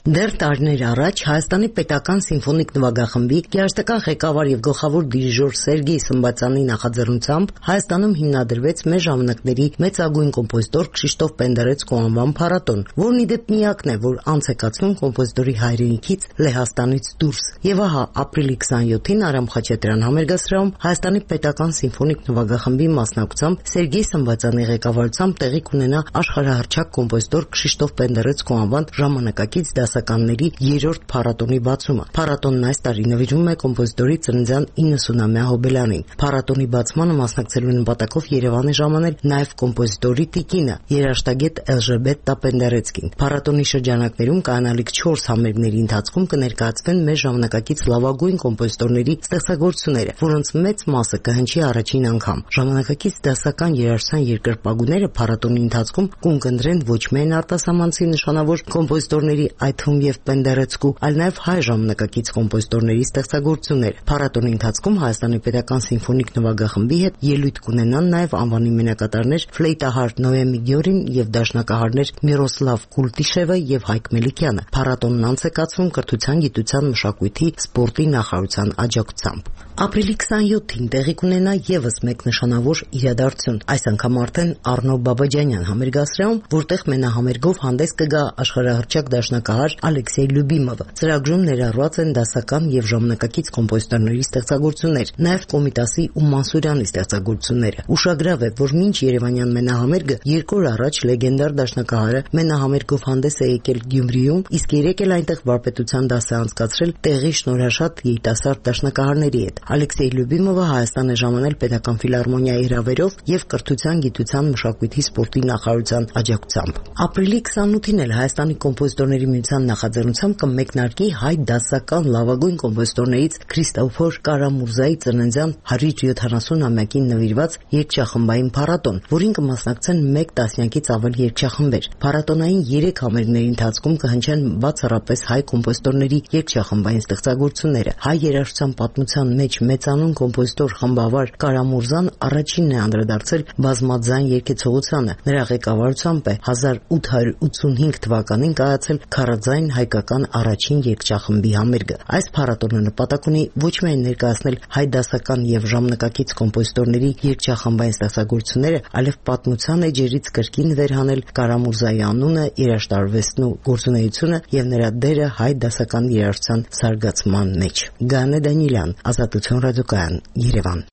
Դեռ տարիներ առաջ Հայաստանի պետական սիմֆոնիկ նվագախմբի երաժշտական ղեկավար եւ գլխավոր դիրիժոր Սերգեյ Սմբացյանի նախաձեռնությամբ Հայաստանում հիմնադրվեց մեր ժամանակների մեծագույն կոմպոզիտոր Քրիշտոֆ Պենդերեցկու անվան փառատոն, որն ի դեպ միակն է, որ անց է կացվում կոմպոզիտորի հայրենիքից Լեհաստանից դուրս։ Եվ ահա ապրիլի 27-ին Արամ Խաչատրյան համերգասրահում Հայաստանի պետական սիմֆոնիկ նվագախմբի մասնակցությամբ Սերգեյ Սմբացյանի ղեկավարությամբ տեղի կունենա աշխարհահռչակ կոմպոզիտոր Քրիշտոֆ Պենդերեցկու անվան ժամանակակից դասականների 3-րդ փառատոնի բացումը։ Փառատոնն այս տարի նվիրվում է կոմպոզիտորի ծննդյան 90-ամյա հոբելյանին։ Փառատոնի բացմանը մասնակցելու նպատակով Երևան է ժամանել նաև կոմպոզիտորի տիկինը, երաժշտագետ Էլժբետա Պենդերեցկին։ Փառատոնի շրջանակներում կայանալիք 4 համերգների ընթացքում կներկայացվեն մեր ժամանակակից լավագույն կոմպոզիտորների ստեղծագործությունները, որոնց մեծ մասը կհնչի առաջին անգամ։ Ժամանակակից դասական երաժշտության երկրպագուները փառատոնի ընթացքում կունկնդրեն ոչ միայն արտասահմանցի նշանավոր կոմպոզիտորների, այդ թվում եւ Պենդերեցկու, այլ նաև հայ ժամանակակից կոմպոզիտորների ստեղծագործություններ։ Փառատոնի ընթացքում Հայաստանի պետական սիմֆոնիկ նվագախմբի հետ ելույթ կունենան նաև անվանի մենակատարներ ֆլեյտահար Նոեմի Գյորին եւ դաշնակահարներ Միրոսլավ Կուլտիշևը եւ Հայկ Մելիքյանը։ Փառատոնն անց է կացվում կրթության, գիտության, մշակույթի, սպորտի նախարարության աջակցությամբ։ Ապրիլի 27-ին տեղի կունենա եւս մեկ նշանավոր իրադարձություն։ Այս անգամ արդեն Արնո Բաբաջանյան համերգասրահում, որտեղ մենահամերգով հանդես կգա աշխարհահռչակ դաշնակահար Ալեքսեյ Լյուբիմովը։ Ծրագրում ներառված են դասական եւ ժամանակակից կոմպոզիտորների ստեղծագործություններ, նաեւ Կոմիտասի ու Մանսուրյանի ստեղծագործությունները։ Ուշագրավ է, որ մինչ Երևանյան մենահամերգը 2 օր առաջ լեգենդար դաշնակահարը մենահամերգով հանդես է եկել Գյումրիում, իսկ երեք էլ այնտեղ վարպետության դաս է անցկացրել տեղի շնորհաշատ երիտասարդ դաշնակահարների հետ։ Ալեքսեյ Լյուբիմովը Հայաստան է ժամանել պետական ֆիլհարմոնիայի հրավերով եւ կրթության, գիտության, մշակույթի, սպորտի նախարարության աջակցությամբ։ Ապրիլի 28-ին էլ Հայաստանի կոմպոզիտորների միության նախաձեռնությամբ կմեկնարկի հայ դասական լավագույն կոմպոզիտորներից Քրիստոֆոր Կարամուրզայի ծննդյան 170-ամյակին նվիրված երգչախմբային փառատոն, որին կմասնակցեն 1 տասնյակից ավել երգչախմբեր։ Փառատոնային 3 համերգների ընթացքում կհնչեն բացառապես հայ կոմպոզիտորների երգչախմբային ստեղծագործությունները։ Հայ երաժշտության պատմության մեջ մեծանուն կոմպոզիտոր խմբավար Կարամուրզան առաջինն է անդրադարձել բազմաձայն երգեցողությանը։ Նրա ղեկավարությամբ է 1885 թվականին կայացել քառաձայն հայկական առաջին երգչախմբի համերգը։ Այս փառատոնը նպատակ ունի ոչ միայն ներկայացնել հայ դասական եւ ժամանակակից կոմպոզիտորների երգչախմբային ստեղծագործությունները, այլև պատմության էջերից կրկին վերհանել Կարամուրզայի անունը, երաժշտարվեստն ու գործունեությունը եւ նրա դերը հայ դասական երաժշտության զարգացման մեջ։ Գանե Դանիելյան, Ազատություն ռադիոկայան, Երևան։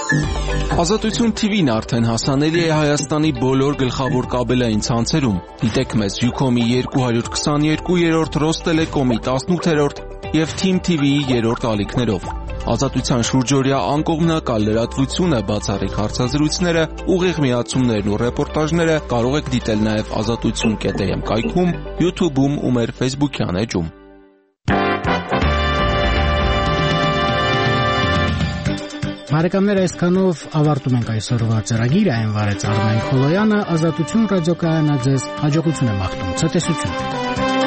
Ազատություն TV-ն արդեն հասանելի է Հայաստանի բոլոր գլխավոր կաբելային ցանցերում։ Դիտեք մեզ Ucom-ի 222-րդ, Ռոստելեկոմի 18-րդ և Team TV-ի 3-րդ ալիքներով։ Ազատության շուրջօրյա անկողմնակալ լրատվությունը, բացառիկ հարցազրույցները, ուղիղ միացումներն ու ռեպորտաժները կարող եք դիտել նաև azatutsun.am կայքում, YouTube-ում ու մեր Facebook-յան էջում։ Բարեկամներ, այսքանով ավարտում ենք այսօրվա ծրագիրը, այն վարեց Արմեն Խոլոյանը, Ազատություն ռադիոկայանը ձեզ հաջողություն է մաղթում, ցտեսություն։